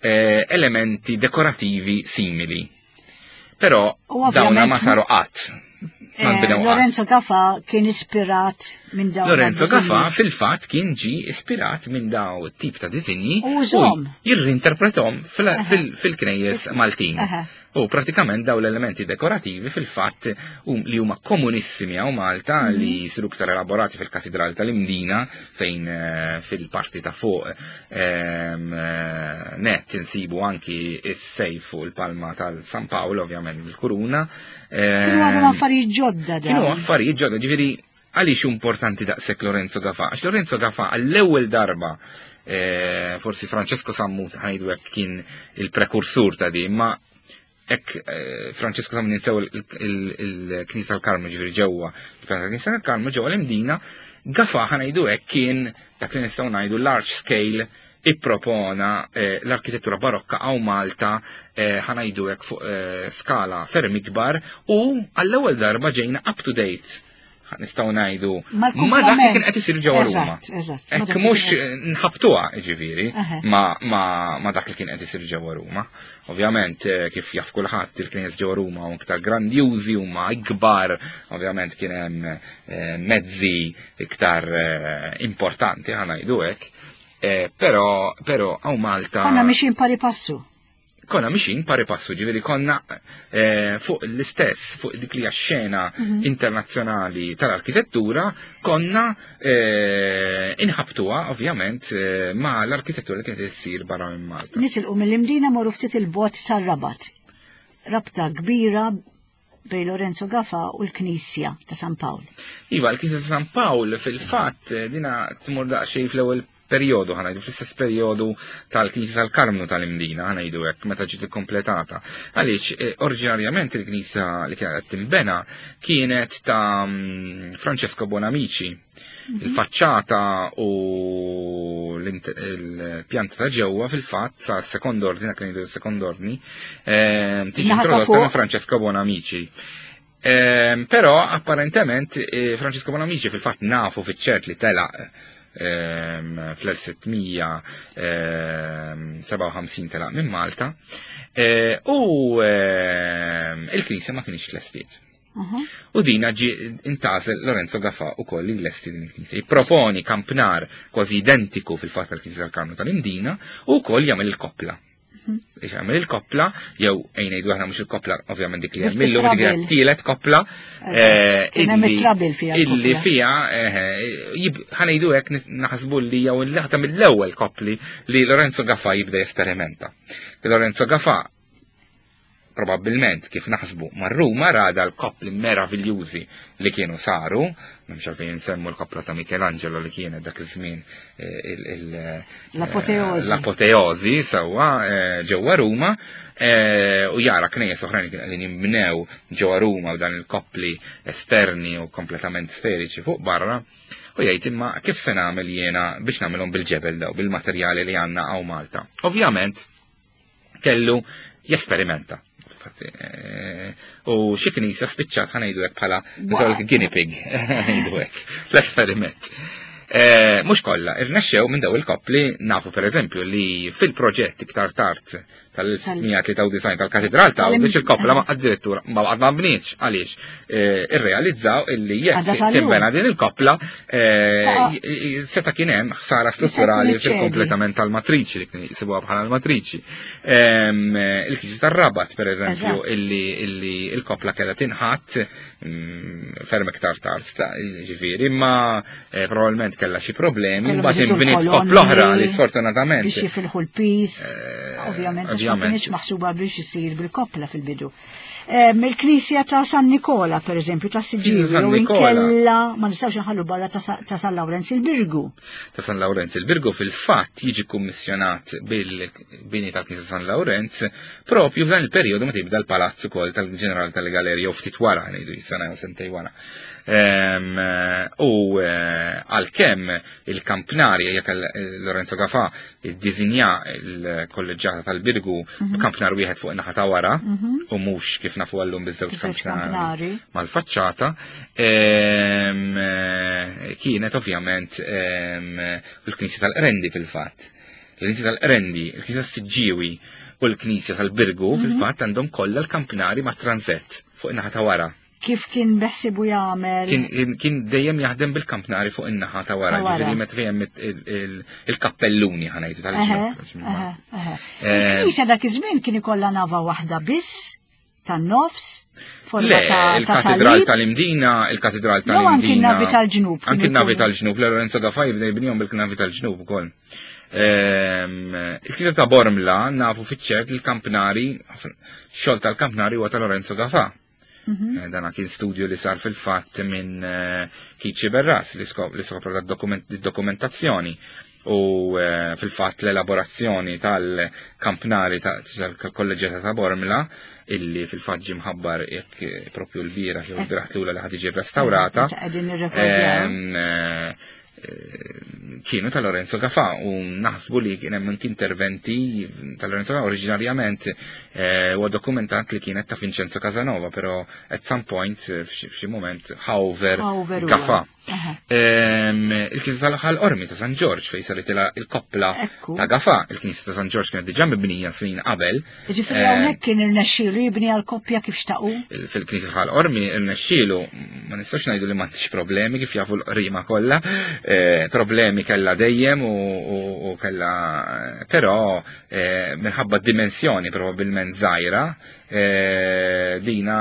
[SPEAKER 3] eh, elementi dekorativi simili. Però
[SPEAKER 2] U ovvjament-
[SPEAKER 3] dawna ma saru qatt. Ma
[SPEAKER 2] Eh,
[SPEAKER 3] nbnew qatt.
[SPEAKER 2] Lorenzo Gafa kien ispirat minn dawn
[SPEAKER 3] Lorenzo
[SPEAKER 2] id-disinji.
[SPEAKER 3] Gafa fil-fatt kien ġi ispirat minn daw tip ta' disinji
[SPEAKER 2] U użhom.
[SPEAKER 3] jirrinterpretom fil-
[SPEAKER 2] Aha.
[SPEAKER 3] fil- fil-knejjes Maltin.
[SPEAKER 2] Aha.
[SPEAKER 3] U pratikament daw l-elementi dekorativi fil-fatt um, li huma komunissimi hawn Malta
[SPEAKER 2] Mhm.
[SPEAKER 3] li jisiru iktar elaborati fil-Katedral tal-Imdina fejn eh, fil-parti ta' fuq ehm, eh, net insibu anki is-sejf fuq il-palma tal-San Paolo, ovvjament bil-kuruna.
[SPEAKER 2] Kienu għadhom
[SPEAKER 3] Ehm,
[SPEAKER 2] affarijiet ġodda
[SPEAKER 3] Kienu
[SPEAKER 2] dawn.
[SPEAKER 3] affarijiet ġodda, ġifieri għaliex importanti daqshekk Lorenzo Gafa? Għax Lorenzo Gafa għall-ewwel darba eh, forsi Francesco Sammut ħa ngħidu hekk kien il-prekursur ta' di, ma hekk eh, Francesco Sammut ninsew il-Knisja tal-Karmu ġifieri ġewwa, il-Knisja tal-Karmu ġewwa l-Imdina, Gafa ħa ngħidu hekk kien dak li nistgħu ngħidu large scale ippropona eh, l-arkitettura barokka hawn Malta eh, ħa ngħidu hekk fuq eh, skala ferm ikbar u għall-ewwel darba ġejna up to date nistgħu ngħidu ma dak li kien qed isir ġewwa Ruma.
[SPEAKER 2] Eżatt, eżatt. Ma
[SPEAKER 3] Hekk
[SPEAKER 2] dak li
[SPEAKER 3] mhux
[SPEAKER 2] kien-
[SPEAKER 3] nħabtuha ġifieri
[SPEAKER 2] Aha.
[SPEAKER 3] ma, ma, ma dak li kien qed isir ġewwa Ruma. Ovvjament eh, kif jaf kulħadd il-knejjes ġewwa Ruma huma iktar grandjużi huma ikbar, ovvjament kien hemm eh, mezzi iktar eh, importanti ħa ngħidu hekk. Eh, però però hawn Malta
[SPEAKER 2] Konna mixin pari passu.
[SPEAKER 3] Konna mixin pari passu, ġifieri konna eh, fuq l-istess, fuq dik li hija xena
[SPEAKER 2] Mhm.
[SPEAKER 3] internazzjonali tal-arkitettura, konna eh, inħabtuha ovvjament eh, ma l-arkitettura li kienet issir barra minn Malta.
[SPEAKER 2] Nitilqu mill-Imdina morru ftit il-bogħod sar-Rabat. Rabta kbira bejn Lorenzo Gafa u l-Knisja ta' San Pawl.
[SPEAKER 3] Iva, l-Knisja ta' San Pawl fil-fatt eh, dina tmur daqsxejn fl-ewwel perjodu, ħa ngħidu fl-istess perjodu tal-Knisja tal-Karmnu tal-Imdina, ħa ngħidu hekk, meta ġiet ikkompletata. Għaliex, eh, oriġinarjament il-Knisja li kienet qed tinbena kienet ta' mm, Francesco Bonamici. Il-faċċata u l-int- il-pjanta ta' ġewwa fil-fatt sa' sekond ordni, dak li ngħidu sekond ordni, ehm, tiġi
[SPEAKER 2] Naħa ta'
[SPEAKER 3] introdotta
[SPEAKER 2] fuq.
[SPEAKER 3] minn Francesco Bonamici. Ehm, però apparentement eh, Francesco Bonamici fil-fatt nafu fiċ-ċert li telaq ehm, fl-elf sitt mija sebgħa u ħamsin telaq minn Malta eh, u ehm, il-knisja ma kienx lestiet.
[SPEAKER 2] Aha.
[SPEAKER 3] U dina ġi intgħażel Lorenzo Gafa u koll li lesti din il-knisja. Jipproponi kampnar kważi identiku fil-fatt tal-Knisja tal-Karmnu tal-Imdina u koll jagħmel il-koppla. Biex jagħmel il-koppla, jew ejn ngħidu aħna mhux il-koppla, ovvjament dik li hemm illum dik hija
[SPEAKER 2] Trabil.
[SPEAKER 3] tielet koppla. eh,
[SPEAKER 2] Kien hemm
[SPEAKER 3] illi-
[SPEAKER 2] it-trabil fiha
[SPEAKER 3] Illi
[SPEAKER 2] l-koppla.
[SPEAKER 3] fija, eh, jib- ħa ngħidu hekk nis- naħsbu li jew l-waħda mill-ewwel koppli li Lorenzo Gafa jibda jesperimenta. Lorenzo Gafa probabilment kif naħsbu mar Ruma rada l-koppli meraviljużi li kienu saru, m'hemmx għalfejn nsemmu l-koppla ta' Michelangelo li kienet dak iż-żmien eh, il- il- eh,
[SPEAKER 2] L-apoteosi.
[SPEAKER 3] L-apoteosi sewwa eh, ġewwa Ruma eh, u jara knejjes oħrajn li kienu qegħdin jinbnew ġewwa Ruma b'dan il-koppli esterni u kompletament sferiċi fuq barra u jgħid imma kif se nagħmel jiena biex nagħmelhom bil-ġebel daw bil-materjali li għandna hawn Malta. Ovvjament kellu jesperimenta. Infatti, eh, u xi knisja spiċċat ħa ngħidu hekk bħala nżol guinea pig, ngħidu hekk, l-esperiment. Eh, Mhux kollha, irnexxew minn daw il-koppli nafu per eżempju li fil-proġett iktar tard tal-elf sitt mija tlieta u disgħin tal-Katedral ta' biex il-koppla ma addirittura ma baqgħet ma bnietx għaliex eh, irrealizzaw illi
[SPEAKER 2] Għadha
[SPEAKER 3] jekk
[SPEAKER 2] sal-lum.
[SPEAKER 3] tinbena din il-koppla eh,
[SPEAKER 2] Ta'
[SPEAKER 3] j- j- seta' kien hemm ħsara strutturali
[SPEAKER 2] iċċedi.
[SPEAKER 3] fil-kompletament tal-matriċi li kien jisibuha bħala l-matriċi. Ehm, Il-Knisja tar-Rabat per eżempju
[SPEAKER 2] Eżatt.
[SPEAKER 3] illi illi il-koppla kellha tinħatt mm, ferm iktar tard, ta' ġifieri, imma eh, probabbilment kellha xi problemi,
[SPEAKER 2] Kellhom
[SPEAKER 3] mbagħad
[SPEAKER 2] iżidu
[SPEAKER 3] inbniet
[SPEAKER 2] l-kolonni
[SPEAKER 3] koppla oħra li sfortunatament
[SPEAKER 2] Biex jifilħu l-pis.
[SPEAKER 3] eh,
[SPEAKER 2] Ovvjament, għax ma kienx maħsuba biex isir bil-koppla fil-bidu. Il-Knisja ta' San Nikola, per eżempju, ta' Siġġiewi, u inkella ma nistgħux nħallu barra ta' San Lawrenz il-Birgu.
[SPEAKER 3] Ta' San Lawrenz il-Birgu fil-fatt jiġi kummissjonat bil-bini tal-Knisja San Lawrenz propju f'dan il-perjodu meta jibda l-palazz ukoll tal-Ġeneral tal-Galerija u ftit wara, ngħidu sena jew sentej wara. U għalkemm il-kampnarja, jekk Lorenzo Gafà iddiżinja l-kolleġġjata tal-Birgu b'kampnar wieħed fuq in-naħa ta' wara u mhux kif nafu għallum biż-żewġ kampnari mal-faċċata, kienet ovvjament il-Knisja tal-Qrendi fil-fatt. Il-Knisja tal-Qrendi, il-Knisja tas-Siġġiewi u l-Knisja tal-Birgu fil-fatt għandhom kollha l-kampnari ma' transett fuq in-naħa ta' wara.
[SPEAKER 2] Kif kien beħsibu jagħmel?
[SPEAKER 3] Kien dejjem jaħdem bil-kampnari fuq in-naħa ta' wara, ġifieri meta fejn il-kappelluni ħa ngħidu tal-ġnub.
[SPEAKER 2] Il-Knisja dak iż-żmien kien ikollha nava waħda biss tan-nofs, forma ta'
[SPEAKER 3] il-Katedral tal-Imdina, il-Katedral tal-Imdina.
[SPEAKER 2] Anki n-navi tal-ġnub.
[SPEAKER 3] Anki n-navi tal-ġnub, Lorenzo Gafà jibda jibnihom bil-navi tal-ġnub ukoll. Il-Knisja ta' Bormla nafu fiċ-ċert il-kampnari, xogħol tal-kampnari huwa ta' Lorenzo Gafà. Dana kien studju li sar fil-fatt minn Kiċi Berras li skopra dokumentazzjoni u fil-fatt l-elaborazzjoni tal-kampnari tal-kolleġġjata ta' Bormla illi fil-fatt ġie mħabbar jekk propju l-bieraħ jew l-bieraħ tlula li ħad tiġi rrestawrata. Kienu ta' Lorenzo Gafà u naħsbu li kien hemm interventi ta' Lorenzo Gafà oriġinarjament huwa dokumentat li kienet ta' Vincenzo Casanova, però at some point f'xi moment Hauver Gafà. Il-Knisja tal-Ħal Qormi ta' San Ġorġ fejn saret il-koppla ta' Gafà. Il-Knisja ta' San Ġorġ kienet diġà mibnija snin qabel.
[SPEAKER 2] Ġifieri hawnhekk kien irnexxielu jibni għall-koppja kif xtaqu?
[SPEAKER 3] Fil-Knisja tal-Ħal Qormi irnexxielu, ma nistax ngħidu li m'għandix problemi kif jafu l-qrima kollha, problemi kellha dejjem u kellha, però minħabba dimensjoni probabbilment żgħira dina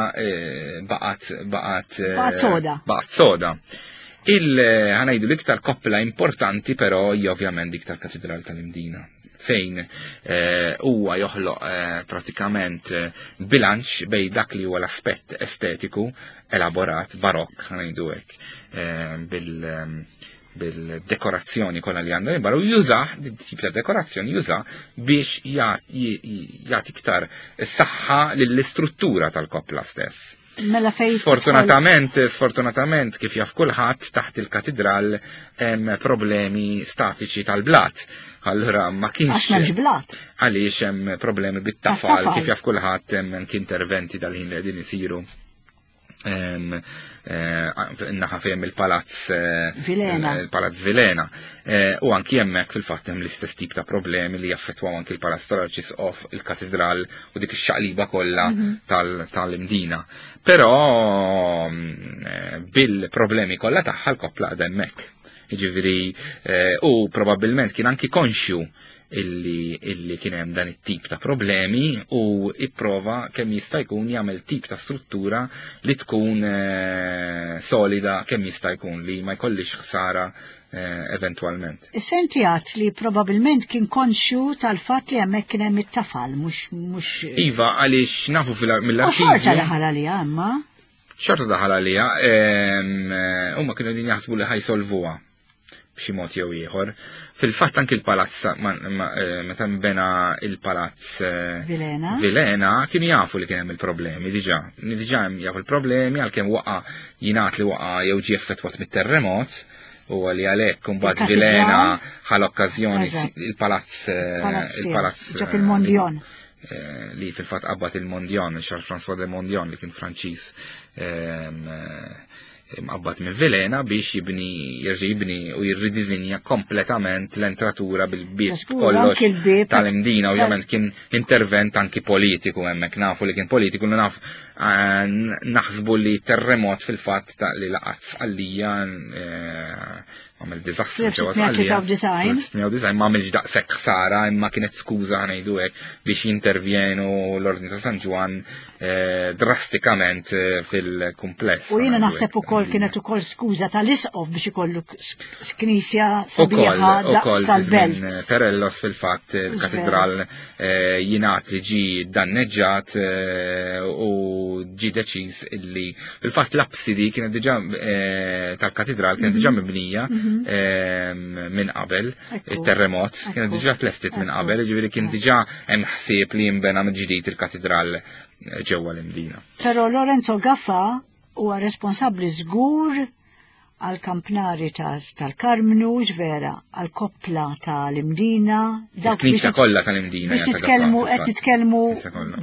[SPEAKER 3] baqgħet baqgħet
[SPEAKER 2] baqgħet soda.
[SPEAKER 3] Baqgħet soda. Il-ħanajdu l-iktar koppla importanti però hija ovvjament dik tal-Katedral tal-Imdina, fejn huwa joħloq pratikament bilanċ bej dak li huwa l-aspett estetiku elaborat barokk, ħanajdu hekk, bil bil-dekorazzjoni kollha li għandha barra, u jużah, tip ta' dekorazzjoni jużah biex jagħti iktar saħħa lill-istruttura tal-koppla stess.
[SPEAKER 2] Mela fejn
[SPEAKER 3] Sfortunatament, sfortunatament kif jaf kulħadd taħt il-katedral hemm problemi statiċi tal-blat. Allura ma kienx
[SPEAKER 2] Għax m'hemmx blat.
[SPEAKER 3] Għaliex hemm problemi bit-tafal, kif jaf kulħadd hemm anki interventi dal-ħin li qegħdin isiru. Naħa fejn il-palazz
[SPEAKER 2] Vilena.
[SPEAKER 3] Il-palazz Vilena. U anki hemmhekk fil-fatt hemm l-istess tip ta' problemi li jaffettwaw anki il-palazz tal-Arċisqof, il-katedral u dik ix-xaqliba kollha tal-Imdina. Però bil-problemi kollha tagħha l-koppla għadha hemmhekk. Jiġifieri u probabbilment kien anki konxju illi illi kien hemm dan it-tip ta' problemi u ipprova kemm jista' jkun jagħmel tip ta' struttura li tkun solida kemm jista' jkun, li ma jkollix ħsara eventwalment.
[SPEAKER 2] Senti għat li probabilment kien konxju tal-fatt li hemmhekk kien hemm it-tafal, mhux mhux
[SPEAKER 3] Iva, għaliex nafu mill-arkiv.
[SPEAKER 2] U xorta daħal għaliha imma.
[SPEAKER 3] Xorta daħal għaliha, huma kienu qegħdin jaħsbu li ħajsolvuha b'xi mod jew ieħor. Fil-fatt anki l-palazz meta nbena il-palazz
[SPEAKER 2] Vilena.
[SPEAKER 3] Vilena kienu jafu li kien hemm il-problemi diġà. Diġà hemm jafu l-problemi għalkemm waqa' jingħad li waqa' jew ġie effettwat mit-terremot, u li għalhekk imbagħad Vilena ħa l-okkażjoni il-palazz il-palazz
[SPEAKER 2] ġab il-Mondion.
[SPEAKER 3] Li fil-fatt qabad il-Mondion, Charles François de Mondion li kien Franċiż mqabbad minn Vilena biex jibni, jerġa' jibni u jirridiżinja kompletament l-entratura bil-bieb kollox tal-Imdina. Ovvjament kien intervent anki politiku hemmhekk, nafu li kien politiku, naf naħsbu li terremot fil-fatt ta' li laqat Sqallija Għamel diżastru ġewwa Sqallija. fl-elf sitt mija tlieta u disgħin ma għamilx daqshekk ħsara, imma kienet skuża, ngħidu hekk, biex jintervjenu l-Ordni ta' San Ġwann eh, drastikament eh, fil-kumpless.
[SPEAKER 2] U jiena naħseb ukoll kienet ukoll skuża tal-isqof biex ikollu knisja sabiħa daqs tal-belt.
[SPEAKER 3] Perellos fil-fatt il-katedral eh, jingħad li ġi danneġġat u ġi deċiż illi fil-fatt l-absidi kienet diġà tal-katedral kienet diġà mhm. mibnija mhm. Minn qabel il-terremot, kienet diġà tlestit minn qabel, ġifieri kien diġà hemm ħsieb li jinbena mill-ġdid il-katedral eh, ġewwa l-Imdina.
[SPEAKER 2] Però Lorenzo Gafà huwa responsabbli żgur għal kampnari tal-Karmnu, vera, għal koppla tal-Imdina.
[SPEAKER 3] Il-Knisja kollha tal-Imdina.
[SPEAKER 2] Biex nitkellmu, qed nitkellmu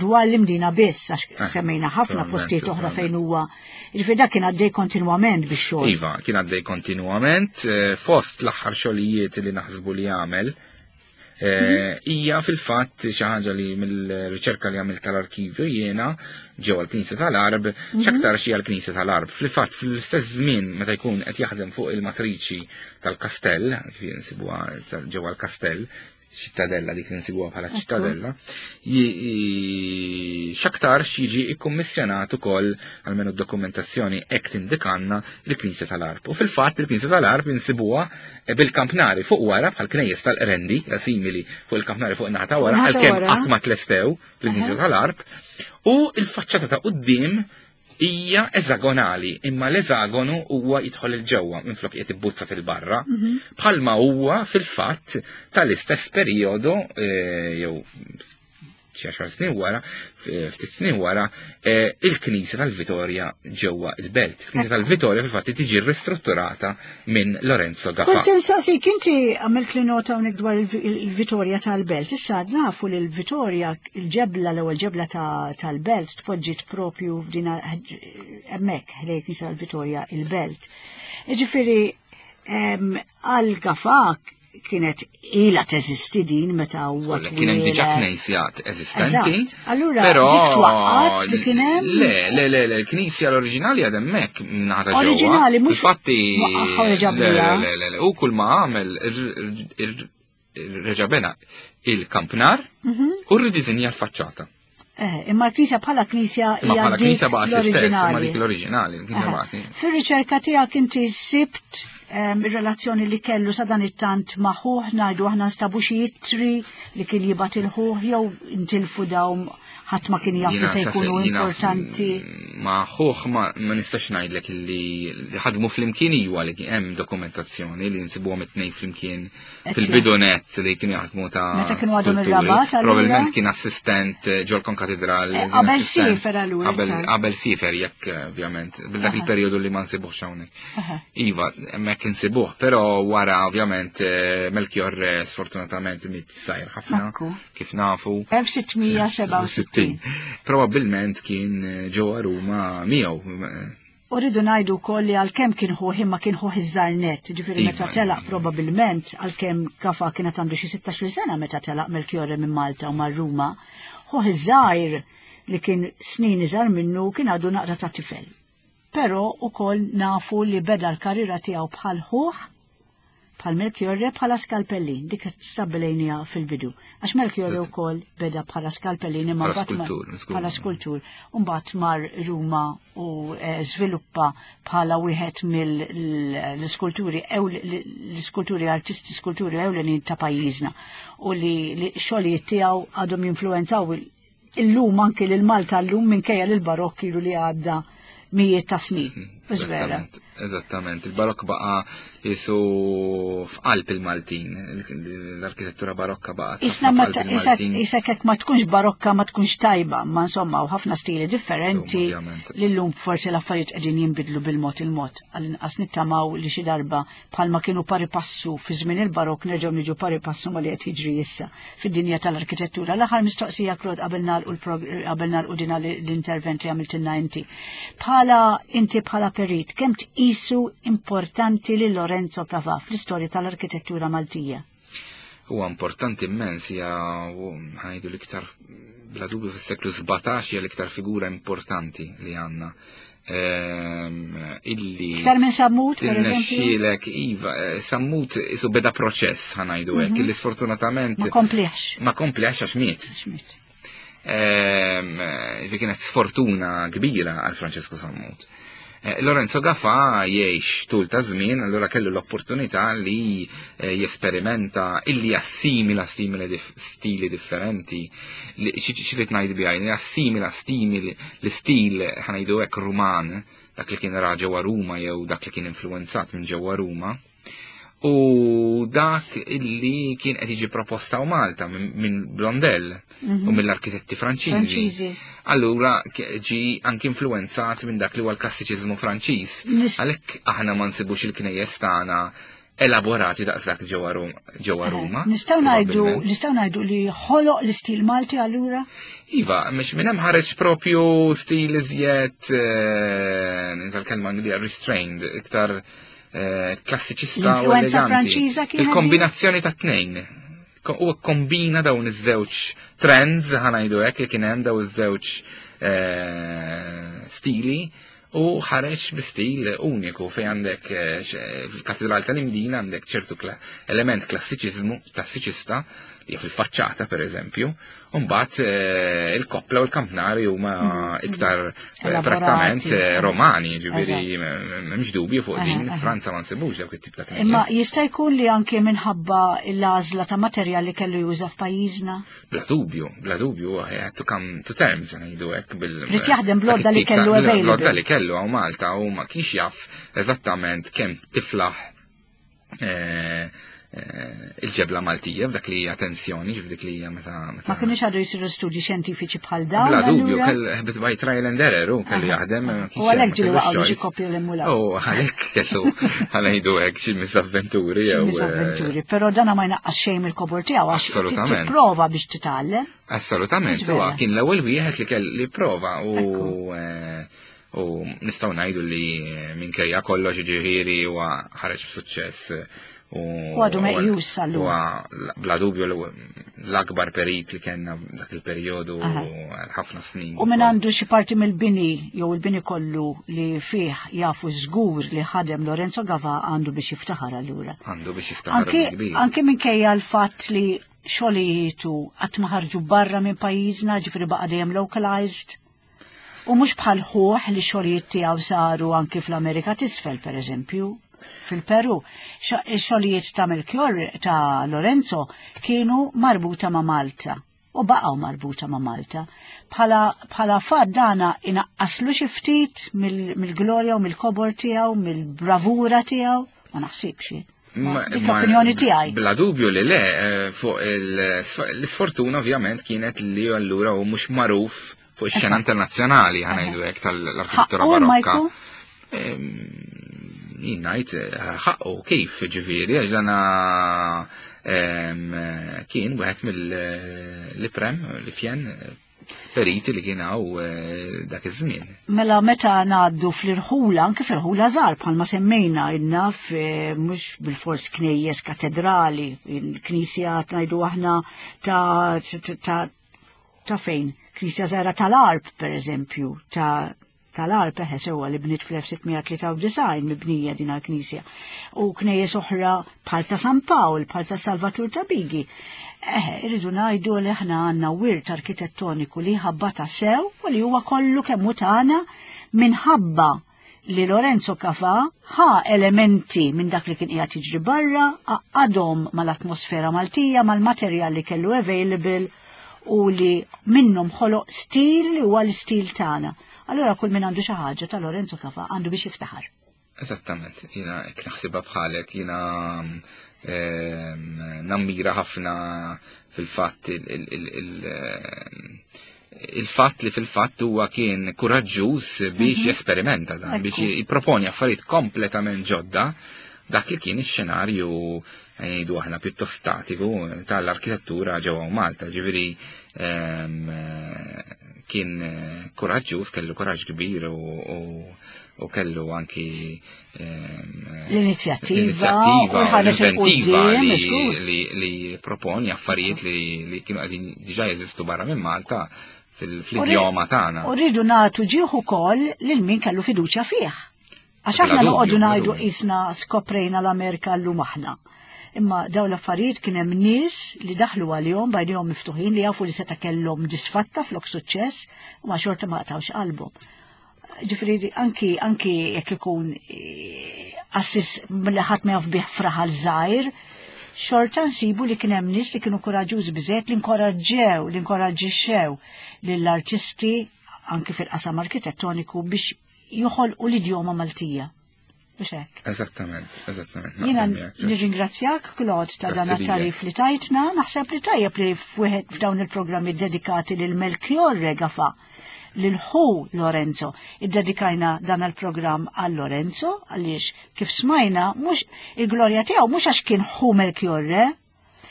[SPEAKER 2] dwar l-Imdina biss, għax eh, semmejna ħafna postijiet oħra fejn huwa. Ġifieri dak kien għaddej kontinwament biex xogħol.
[SPEAKER 3] Iva, kien għaddej kontinwament, eh, fost l-aħħar xogħlijiet li naħsbu li għamel, eh, hija fil-fatt xi ħaġa li mill-riċerka li għamilt tal-arkivju jiena ġewwa l-Knisja tal-Għarb, mhm. x'aktar xi l-Knisja tal-Għarb. Fil-fatt fl-istess żmien meta jkun qed jaħdem fuq il-matriċi tal-kastell, kif insibuha ġewwa l-kastell, ċittadella dik li nsibuha bħala ċittadella, x'aktar jiġi ikkummissjonat ukoll, almenu d-dokumentazzjoni hekk tindikanna, il-Knisja tal-Għarb. U fil-fatt il-Knisja tal-Għarb insibuha bil-kampnari fuq wara bħal knejjes tal-Qrendi, simili fuq il-kampnari fuq naħa ta' wara, għalkemm qatt ma tlestew fil-Knisja tal-Għarb, u il-faċċata ta' quddiem hija eżagonali, imma l-eżagonu huwa jidħol il-ġewwa minflok qiegħed ibbuzza fil-barra, mhm. bħalma huwa fil-fatt tal-istess perjodu eh, jew xi għaxar snin wara, ftit snin wara, eh, il-Knisja tal-Vitorja ġewwa il-Belt. Il-Knisja tal-Vitorja fil-fatt tiġi ristrutturata minn Lorenzo Gafà.
[SPEAKER 2] Kont se nsaqsik, inti għamilt li nota hawnhekk dwar il-Vitorja tal-Belt. Issa nafu li l-Vitorja, il-ġebla, l-ewwel ġebla tal-Belt tpoġġiet propju f'din hemmhekk ħdejn Knisja tal-Vitorja il-Belt. Ġifieri għal Gafà kienet ila teżisti din meta huwa
[SPEAKER 3] Kien hemm diġà knisja eżistenti.
[SPEAKER 2] Allura però dik twaqqat li kien hemm?
[SPEAKER 3] Le, le, le, le, l-knisja l-oriġinali għad hemmhekk naħa ġewwa.
[SPEAKER 2] Oriġinali mhux
[SPEAKER 3] Infatti le, le, le, le, u kull ma għamel reġa' bena il-kampnar mhm. u rridisinja l-faċċata.
[SPEAKER 2] Eh, imma l-knisja bħala knisja
[SPEAKER 3] hija bħala knisja baqgħet l-istess, imma dik l-oriġinali, l-knisja baqgħet.
[SPEAKER 2] Fir-riċerka tiegħek inti sibt ir-relazzjoni li kellu sa dan it-tant ma' ħuh, ngħidu aħna nstabu xi ittri li kien jibgħat il-ħuh jew intilfu dawn, ħadd ma kien jaf li se jkunu importanti?
[SPEAKER 3] Ma ħuh ma nistax ngħidlek li ħadmu flimkien, iwa li hemm dokumentazzjoni li nsibuhom it-tnejn flimkien fil-bidunet li kienu jaħdmu ta'
[SPEAKER 2] Meta kienu għadhom ir-Rabat.
[SPEAKER 3] Probabbilment kien assistent ġol konkatedral.
[SPEAKER 2] Eh, qabel siefer allura.
[SPEAKER 3] Qabel siefer jekk ovvjament, bil dak il-perjodu li ma nsibuhx hawnhekk. Iva, hemmhekk insibuh, però wara ovvjament eh, Melchior sfortunatament miet żgħir ħafna, kif nafu.
[SPEAKER 2] elf sitt mija sebgħa u sittin.
[SPEAKER 3] Probabbilment kien eh, ġewwa Ruma miegħu.
[SPEAKER 2] U rridu ngħidu wkoll li għalkemm kien ħuh, imma kien ħuh iż-żgħar nett, ġifieri meta telaq probabbilment, għalkemm Gafà kienet għandu xi sittax-il sena meta telaq Melchiorre minn Malta u mar Ruma, ħuh iż-żgħir li kien snin iżgħar minnu kien għadu naqra ta' tifel. Però ukoll nafu li beda l-karriera tiegħu bħal ħuh, bħal Melchiorre, bħala skalpellin, dik stabbilejnija fil-bidu. Għax Melchiorre wkoll beda bħala skalpellin imma
[SPEAKER 3] bħala
[SPEAKER 2] skultur. Mbagħad mar Ruma u eh, żviluppa bħala wieħed mill-skulturi l-skulturi artisti skulturi ewlenin ta' pajjiżna u li xogħlijiet tiegħu għadhom jinfluwenzaw illum anki lil Malta llum minkejja lil barokk ilu li għadda mijiet ta' snin.
[SPEAKER 3] Vera. Eżattament, il-barokk baqa jisu f'qalb il-Maltin, l-arkitettura barokka baqa.
[SPEAKER 2] Isna issa kek ma tkunx barokka ma tkunx tajba, ma insomma u ħafna stili differenti li llum forsi l-affarijiet qegħdin jinbidlu bil-mod il-mod. Għall-inqas nittamaw li xi darba bħalma kienu pari passu fi żmien il-barokk nerġgħu niġu pari passu ma li qed jiġri issa fid-dinja tal-arkitettura. L-aħħar mistoqsija, Claude, qabel nagħlqu qabel nagħlqu din l-intervent li għamiltilna inti. Bħala inti bħala perit, kemm tqisu importanti li Lorenzo Gafà fl-istorja tal-arkitettura Maltija?
[SPEAKER 3] Huwa importanti immens, hija ħa ngħidu l-iktar Bla dubju fis-seklu sbatax hija l-iktar figura importanti li għandna. Illi
[SPEAKER 2] Iktar minn Sammut, per eżempju?
[SPEAKER 3] Iva, eh, Sammut isu beda proċess, ħa ngħidu hekk, mhm. illi sfortunatament
[SPEAKER 2] ma kompliex.
[SPEAKER 3] Ma kompliex għax miet.
[SPEAKER 2] Miet.
[SPEAKER 3] Ehm, kienet sfortuna kbira għal Francesco Sammut. Eh, Lorenzo Gafà jgħix tul ta' żmien, allura kellu l-opportunità li eh, jesperimenta, illi jassimila simili stili differenti. Xi ngħid biha, jassimila stimili l-istil, ħa ngħidu hekk, Ruman, dak li kien ra ġewwa Ruma jew dak li kien influenzat minn ġewwa Ruma. U dak illi kien qed jiġi proposta u Malta minn Blondel u mill-arkitetti Franċiżi. Allura ġi anki influenzat minn dak li huwa l-klassiċiżmu Franċiż. Għalhekk aħna ma nsibux il-knejjes tagħna elaborati daqshekk ġewwa Ruma.
[SPEAKER 2] Nistgħu ngħidu nistgħu ngħidu li ħoloq l-istil Malti allura?
[SPEAKER 3] Iva, mhux minn hemm ħareġ propju stil iżjed, eh, kelma li restrained, iktar eh, klassiċista u eleganti. Il-kombinazzjoni ta' tnejn. U kombina dawn iż-żewġ trends, ħa ngħidu hekk, li kien hemm dawn iż-żewġ eh, stili u ħareġ bi stil uniku fej għandek eh, fil-Katedral tal-Imdina għandek ċertu element klassiċiżmu, klassiċista li fil-faċċata per eżempju, u mbagħad eh, il-koppla u l-kampnari huma mm, iktar eh, prattament romani, ġifieri m'hemmx dubju fuq din, Franza ma nsibux dawk it-tip ta' knejjes.
[SPEAKER 2] Imma jista' jkun li anke minħabba l-għażla ta' materjal li kellu juża f'pajjiżna?
[SPEAKER 3] Bla dubju, bla dubju, had to come to terms, ngħidu hekk bil.
[SPEAKER 2] Ried jaħdem bl-għodda li kellu available.
[SPEAKER 3] Bl-għodda li kellu hawn Malta u ma kienx jaf eżattament kemm tiflaħ eh, eh, il-ġebla Maltija f'dak li hija tensjoni, f'dik li hija meta.
[SPEAKER 2] Ma kienux għadu jisiru studji xjentifiċi bħal dawn.
[SPEAKER 3] Bla dubju, kell by trial and error, u kellu jaħdem.
[SPEAKER 2] U għalhekk ġieli waqgħu xi kopju l-emula.
[SPEAKER 3] U għalhekk kellu, ħa ngħidu hekk, xi misavventuri.
[SPEAKER 2] Xi misavventuri, però dana ma jnaqqas xejn mill-kobor tiegħu għax tipprova biex titgħallem.
[SPEAKER 3] Assolutament, huwa kien l-ewwel wieħed li kelli prova u eh, u nistgħu ngħidu li minkejja kollox, ġifieri, huwa ħareġ b'suċċess.
[SPEAKER 2] U għadu meqjus
[SPEAKER 3] allura. Bla dubju l-akbar perit li kellna dak il-perjodu għal ħafna snin.
[SPEAKER 2] U minn għandu xi parti mill-bini jew il-bini kollu li fih jafu żgur li ħadem Lorenzo Gava għandu biex jiftaħar allura.
[SPEAKER 3] Għandu biex jiftaħar.
[SPEAKER 2] Anke anke minkejja l-fatt li xogħlijitu qatt ma ħarġu barra minn pajjiżna, ġifieri baqa' dejjem localized. U mhux bħal ħuh li xogħlijiet tiegħu saru anke fl-Amerika t'Isfel, pereżempju, fil-Peru. Xogħlijiet ta' Melchior ta' Lorenzo kienu marbuta ma' Malta u baqgħu marbuta ma' Malta. Bħala bħala fatt dana inaqqaslu xi ftit mill-glorja u mill-kobor tiegħu, mill-bravura tiegħu, ma naħsibx. Dik l-opinjoni tiegħi.
[SPEAKER 3] Bla dubju li le, eh, fuq l-isfortuna ovvjament kienet li allura u mhux magħruf fuq ix-xena internazzjonali, ħa ngħidu hekk, tal-arkitettura barokka. Jien ngħid eh, ħaqqu kif, ġifieri, għax dana kien wieħed mill-iprem li fjen periti li kien hawn eh, dak iż-żmien.
[SPEAKER 2] Mela meta ngħaddu fl-irħula, anke fl-irħula żgħar bħalma semmejna inna mhux bil-fors knejjes katedrali, il-knisja ngħidu aħna ta' ta' ta' fejn, knisja żgħira tal-Għarb per eżempju, ta' tal-Għarb eħe sewwa li bniet fl-elf sitt mija tlieta u disgħin mibnija din għal-knisja. U knejjes oħra bħal ta' San Pawl, bħal ta' Salvatur ta' Bigi. Eħe, irridu ngħidu li aħna għandna wirt arkitettoniku li ħabbata sew u li huwa kollu kemm hu tagħna minħabba li Lorenzo Gafà ħa elementi minn dak li kien qiegħed jiġri barra, għaqqadhom mal-atmosfera Maltija, mal-materjal li kellu available u li minnhom ħoloq stil li huwa l-istil tagħna. Allura kull min għandu xi ħaġa ta' Lorenzo Gafà għandu biex jiftaħar.
[SPEAKER 3] Eżattament, jiena hekk naħsibha bħalek, jiena nammira ħafna fil-fatt il-fatt li fil-fatt huwa kien kuraġġuż biex mhm. jesperimenta dan, biex jipproponi affarijiet kompletament ġodda dak li kien ix-xenarju, ngħidu aħna, pjuttost statiku tal-arkitettura ġewwa Malta, ġifieri kien kuraġġuż, kellu kuraġġ kbir u, u, u kellu anki
[SPEAKER 2] l-inizjattiva u
[SPEAKER 3] l-inventiva li, li, li proponi affarijiet li, li kienu qegħdin diġà jeżistu barra minn Malta fil-idjoma tagħna.
[SPEAKER 2] U rridu nagħtu ġieħ ukoll lil min kellu fiduċja fih. Għax aħna noqogħdu ngħidu qisna skoprejna l-Amerika llum aħna. Imma dawn l-affarijiet kien hemm nies li daħlu għalihom b'għajnejhom miftuħin li jafu li seta' kellhom disfatta flok suċċess u ma xorta ma qtawx qalbhom. Ġifieri anki anki jekk ikun qassis li ħadd ma jaf bih f'raħal żgħir, xorta nsibu li kien hemm nies li kienu kuraġġużi biżejjed li nkoraġġew, li nkoraġġixxew lill-artisti anki fil-qasam arkitettoniku biex joħolqu l-idjoma Maltija. Biex hekk.
[SPEAKER 3] Eżattament, eżattament.
[SPEAKER 2] Jiena nirringrazzjak, Claude, ta' dan it-tarif li tajtna, naħseb li tajjeb li f'wieħed f'dawn il-programmi dedikati lil Melchiorre Gafà, lil ħu Lorenzo. Iddedikajna dan il-programm għal Lorenzo, għaliex kif smajna, mhux il-glorja tiegħu mhux għax kien ħu Melchiorre,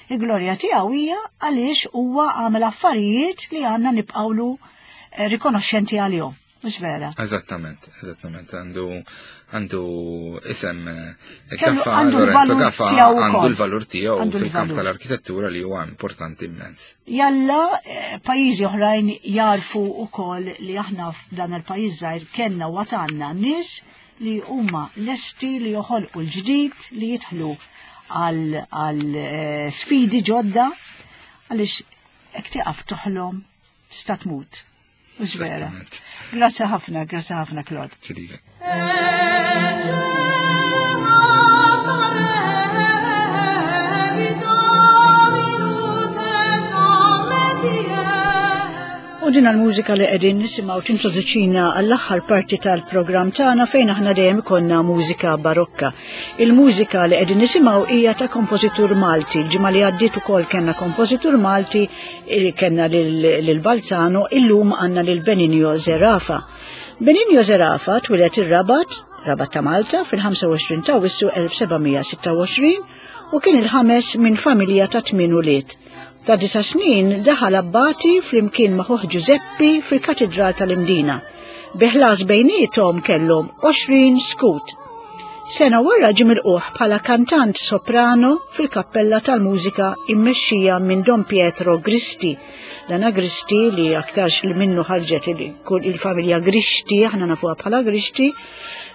[SPEAKER 2] il-glorja tiegħu hija għaliex huwa għamel affarijiet li għandna nibqgħulu rikonoxxenti għalihom. Mhux vera?
[SPEAKER 3] Eżattament, eżattament. Għandu għandu isem
[SPEAKER 2] Kellu-
[SPEAKER 3] Gafà,
[SPEAKER 2] għandu
[SPEAKER 3] Lorenzo
[SPEAKER 2] l-valur
[SPEAKER 3] Gafà,
[SPEAKER 2] tiegħu
[SPEAKER 3] għandu
[SPEAKER 2] wkoll.
[SPEAKER 3] l-valur tiegħu
[SPEAKER 2] Għandu
[SPEAKER 3] fil-kamp
[SPEAKER 2] l-valur.
[SPEAKER 3] tal-arkitettura li huwa importanti immens.
[SPEAKER 2] Jalla eh, pajjiżi oħrajn jarfu wkoll li aħna f'dan il-pajjiż żgħir kellna u għandna nies li huma lesti li joħolqu l-ġdid, li jidħlu għal għal eh, sfidi ġodda, għaliex hekk tieqaf toħlom tista' tmut. Mhux vera.
[SPEAKER 3] Eżattament.
[SPEAKER 2] Grazzi ħafna, grazzi ħafna, Claude.
[SPEAKER 3] Tililek.
[SPEAKER 2] U din l-mużika li qegħdin nisimgħu tintroduċina għall-aħħar parti tal-programm tagħna fejn aħna dejjem ikollna mużika barokka. Il-mużika li qegħdin nisimgħu hija ta' kompożitur Malti. Il-ġimgħa li għaddiet ukoll kellna kompożitur Malti, eh, kellna lil Balzano, illum għandna lil Benigno Zerafa. Benigno Zerafa twieled ir-Rabat, Rabat ta' Malta, fil-ħamsa u għoxrin ta' Awwissu elf seba' mija sitta u għoxrin u kien il-ħames minn familja ta' tmien ulied. Ta' disa' snin daħal abbati flimkien ma' ħuh Giuseppi fil-Katedral tal-Imdina. Bi ħlas bejniethom kellhom għoxrin skut. Sena wara ġie milquh bħala kantant soprano fil-kappella tal-mużika immexxija minn Don Pietro Gristi. Dana Gristi li aktarx li minnu ħarġet il-, il-familja Gristi, aħna nafuha bħala Gristi,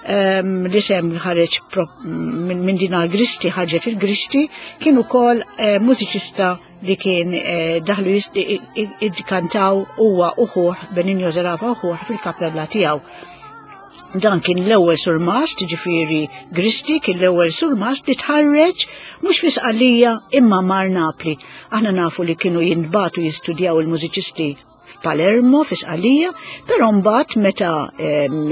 [SPEAKER 2] ehm, l-isem ħareġ pro-, minn, minn dina Gristi ħarġet il-Gristi, kien ukoll, eh, mużiċista li kien, eh, daħlu jist-, i-, i-, i-, huwa u ħuh, Benigno Zerafa u ħuh fil-kappella tiegħu. Dan kien l-ewwel surmast, ġifieri Gristi kien l-ewwel surmast li tħarreġ mhux fi Sqallija imma mar Napli. Aħna nafu li kienu jintbatu jistudjaw il-mużiċisti f'Palermo, fi Sqallija, però mbagħad meta, em,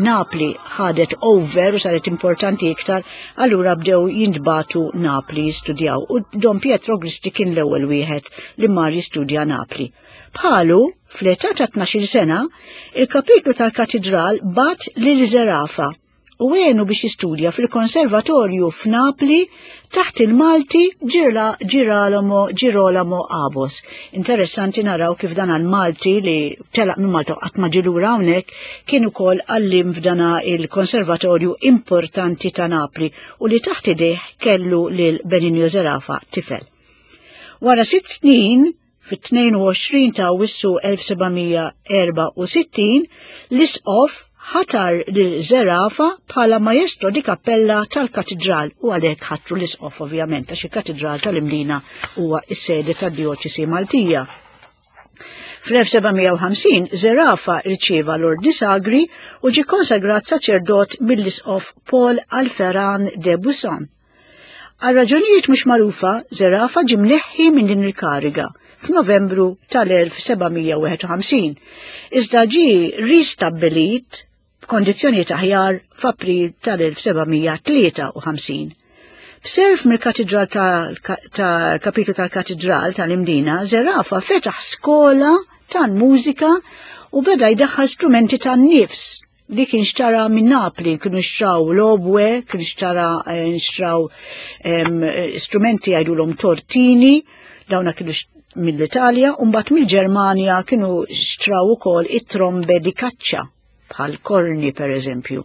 [SPEAKER 2] Napli ħadet over u saret importanti iktar, allura bdew jintbatu Napli jistudjaw. U Don Pietro Gristi kien l-ewwel wieħed li mar jistudja Napli. Bħalu, fl-età ta' tnax-il sena, il-kapitlu tal-katedral bat lil Zerafa u għenu biex jistudja fil-konservatorju f'Napli taħt il-Malti Girla-, Girolamo, Girolamo Abos. Interessanti naraw kif dan għal-Malti li telaq minn Malta qatt ma ġie lura hawnhekk kien ukoll għallim f'dana il-konservatorju importanti ta' Napli u li taħt idejh kellu lil Benigno Zerafa tifel. Wara sitt snin, fit-tnejn u għoxrin ta' Awwissu elf seba' mija erba' u sittin, l-isqof ħatar lil Zerafa bħala maestro di kappella tal-katedral u għalhekk ħatru l-isqof ovvjament għax il-katedral tal-Imdina huwa s-sede tad-djoċesi Maltija. Fl-elf seba' mija u ħamsin Zerafa rċieva l-Ordni Sagri u ġie konsagrat saċerdot mill-isqof Paul Alferan de Busson. Għal raġunijiet mhux magħrufa, Zerafa ġie mneħħi minn din il-kariga f'Novembru tal-elf seba' mija u wieħed u ħamsin, iżda ġie ristabbilit b'kondizzjonijiet aħjar f'April tal-elf seba' mija tlieta u ħamsin. B'serf mill-katedral tal-kapitlu tal-katedral tal-Imdina, Zerafa fetaħ skola tal-mużika u beda jdaħħal strumenti tan-nifs li kien xtara minn Napli, kienu xtraw l-obwe, kienu xtara, eh, xtraw, em, strumenti jgħidulhom tortini, dawna kienu mill-Italja u mbagħad mill-Ġermanja kienu xtraw ukoll it-trombe di caccia bħal korni per eżempju.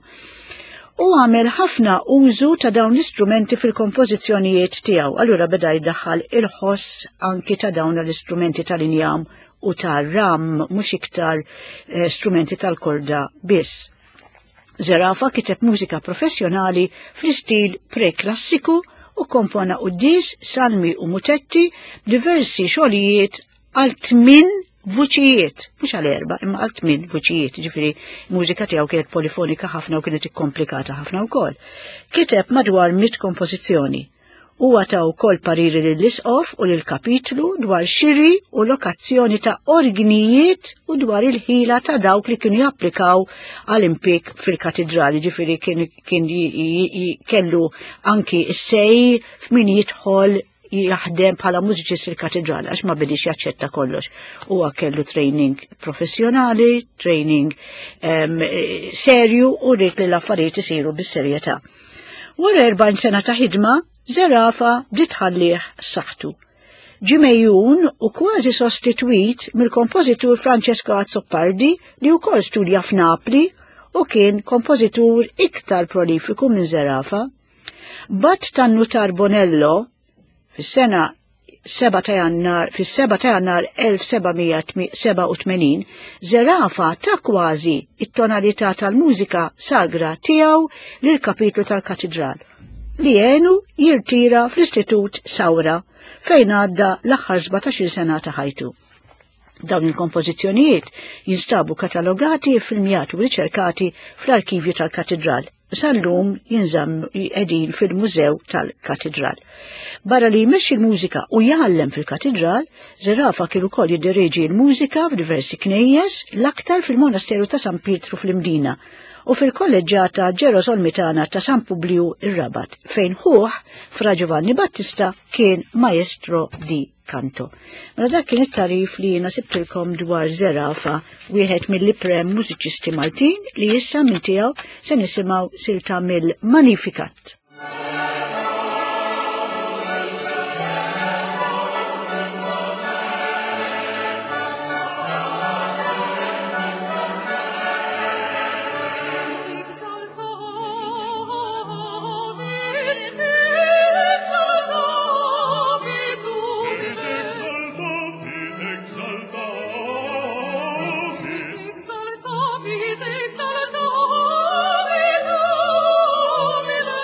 [SPEAKER 2] U għamel ħafna użu ta' dawn l-istrumenti fil-kompożizzjonijiet tiegħu. Allura beda jdaħħal il-ħoss anki ta' dawn l-istrumenti tal-injam u tar-ram, mhux iktar eh, strumenti tal-korda biss. Zerafa kiteb mużika professjonali fl-istil preklassiku u kompona quddies, salmi u mutetti b'diversi xogħlijiet għal tmien vuċijiet, mhux għal erba, imma għal tmien vuċijiet, ġifieri mużika tiegħu kienet polifonika ħafna u kienet ikkomplikata ħafna wkoll. Kiteb madwar mitt kompożizzjoni. Huwa ta wkoll pariri lill-isqof u lill-kapitlu dwar xiri u lokazzjoni ta' orgnijiet u dwar il-ħila ta' dawk li kienu japplikaw għal impik fil-katidrali, ġifieri kien, kien kellu anki s-sej f'min jidħol jaħdem bħala mużiċist fil-katedrali għax ma bidix jaċċetta kollox. Huwa kellu training professjonali, training um, serju u rrid li l-affarijiet isiru bis-serjetà. Wara erbgħin sena ta' ħidma, Zerafa bdiet tħallih saħħtu. Ġie mejjun u kważi sostitwit mill-kompożitur Francesco Azzopardi li wkoll studja f'Napli u kien kompożitur iktar prolifiku minn Zerafa. Bat tan-nutar Bonello fis-sena seba' ta' Jannar, fis-seba' ta' Jannar elf seba' mija seba' u tmenin, Zerafa ta' kważi it-tonalità tal-mużika sagra tiegħu lill-kapitlu tal-katedral li għenu jirtira fl-Istitut Sawra fejn għadda l-aħħar sbatax-il sena ta' ħajtu. Dawn il-kompożizzjonijiet jinstabu katalogati, filmjati u riċerkati fl-arkivju tal-katedral. Sal-lum jinżamm qegħdin fil-Mużew tal-Katedral. Barra li jmexxi l-mużika u jgħallem fil-katedral, Zerafa kien ukoll jiddireġi l-mużika f'diversi knejjes, l-aktar fil-Monasteru ta' San Pietru fl-Imdina u fil-kolleġġata Ġerosolmitana ta' San Publiju ir-Rabat, fejn ħuh Fra Giovanni Battista kien maestro di canto. Mela dak kien it-tarif li jiena sibtilkom dwar Zerafa, wieħed mill-iprem mużiċisti Maltin li issa minn tiegħu se nisimgħu silta mill-Magnificat.
[SPEAKER 4] Exaltavit, exaltavit, Domine.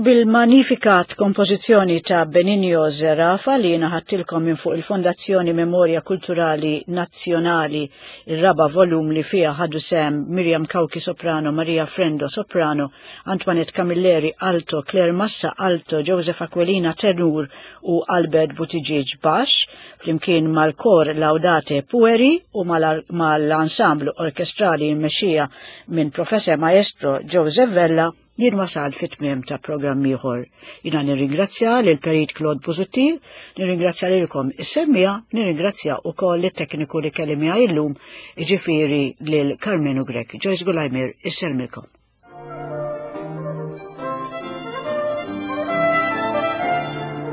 [SPEAKER 2] U bil-Magnificat, kompożizzjoni ta' Benigno Zerafa li naħattilkom minn fuq il-Fondazzjoni Memoria Kulturali Nazzjonali, il-raba volum li fija ħadu sem Miriam Cauchi soprano, Maria Frendo soprano, Antoinette Camilleri alto, Claire Massa alto, Joseph Aquilina tenur u Albert Buttigieg bax, flimkien mal-kor Laudate Pueri u mal-ansamblu orkestrali mmexxija minn Professor Maestro Joseph Vella, jien wasal fit-tmiem ta' programm ieħor. Jiena nirringrazzja lil Perit Claude Busuttil, nirringrazzja lilkom is-semmiegħa, nirringrazzja wkoll it-tekniku li kelli miegħi llum, jiġifieri lil Carmenu Grech. Joyce Gulajmir issellmilkom.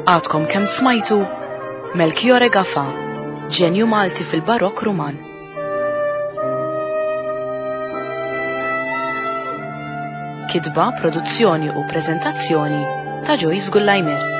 [SPEAKER 1] Għadkom kemm smajtu Melchiorre Gafà, ġenju Malti fil-Barokk Ruman. Kitba, produzzjoni u prezentazzjoni ta' Joyce Gullajmer.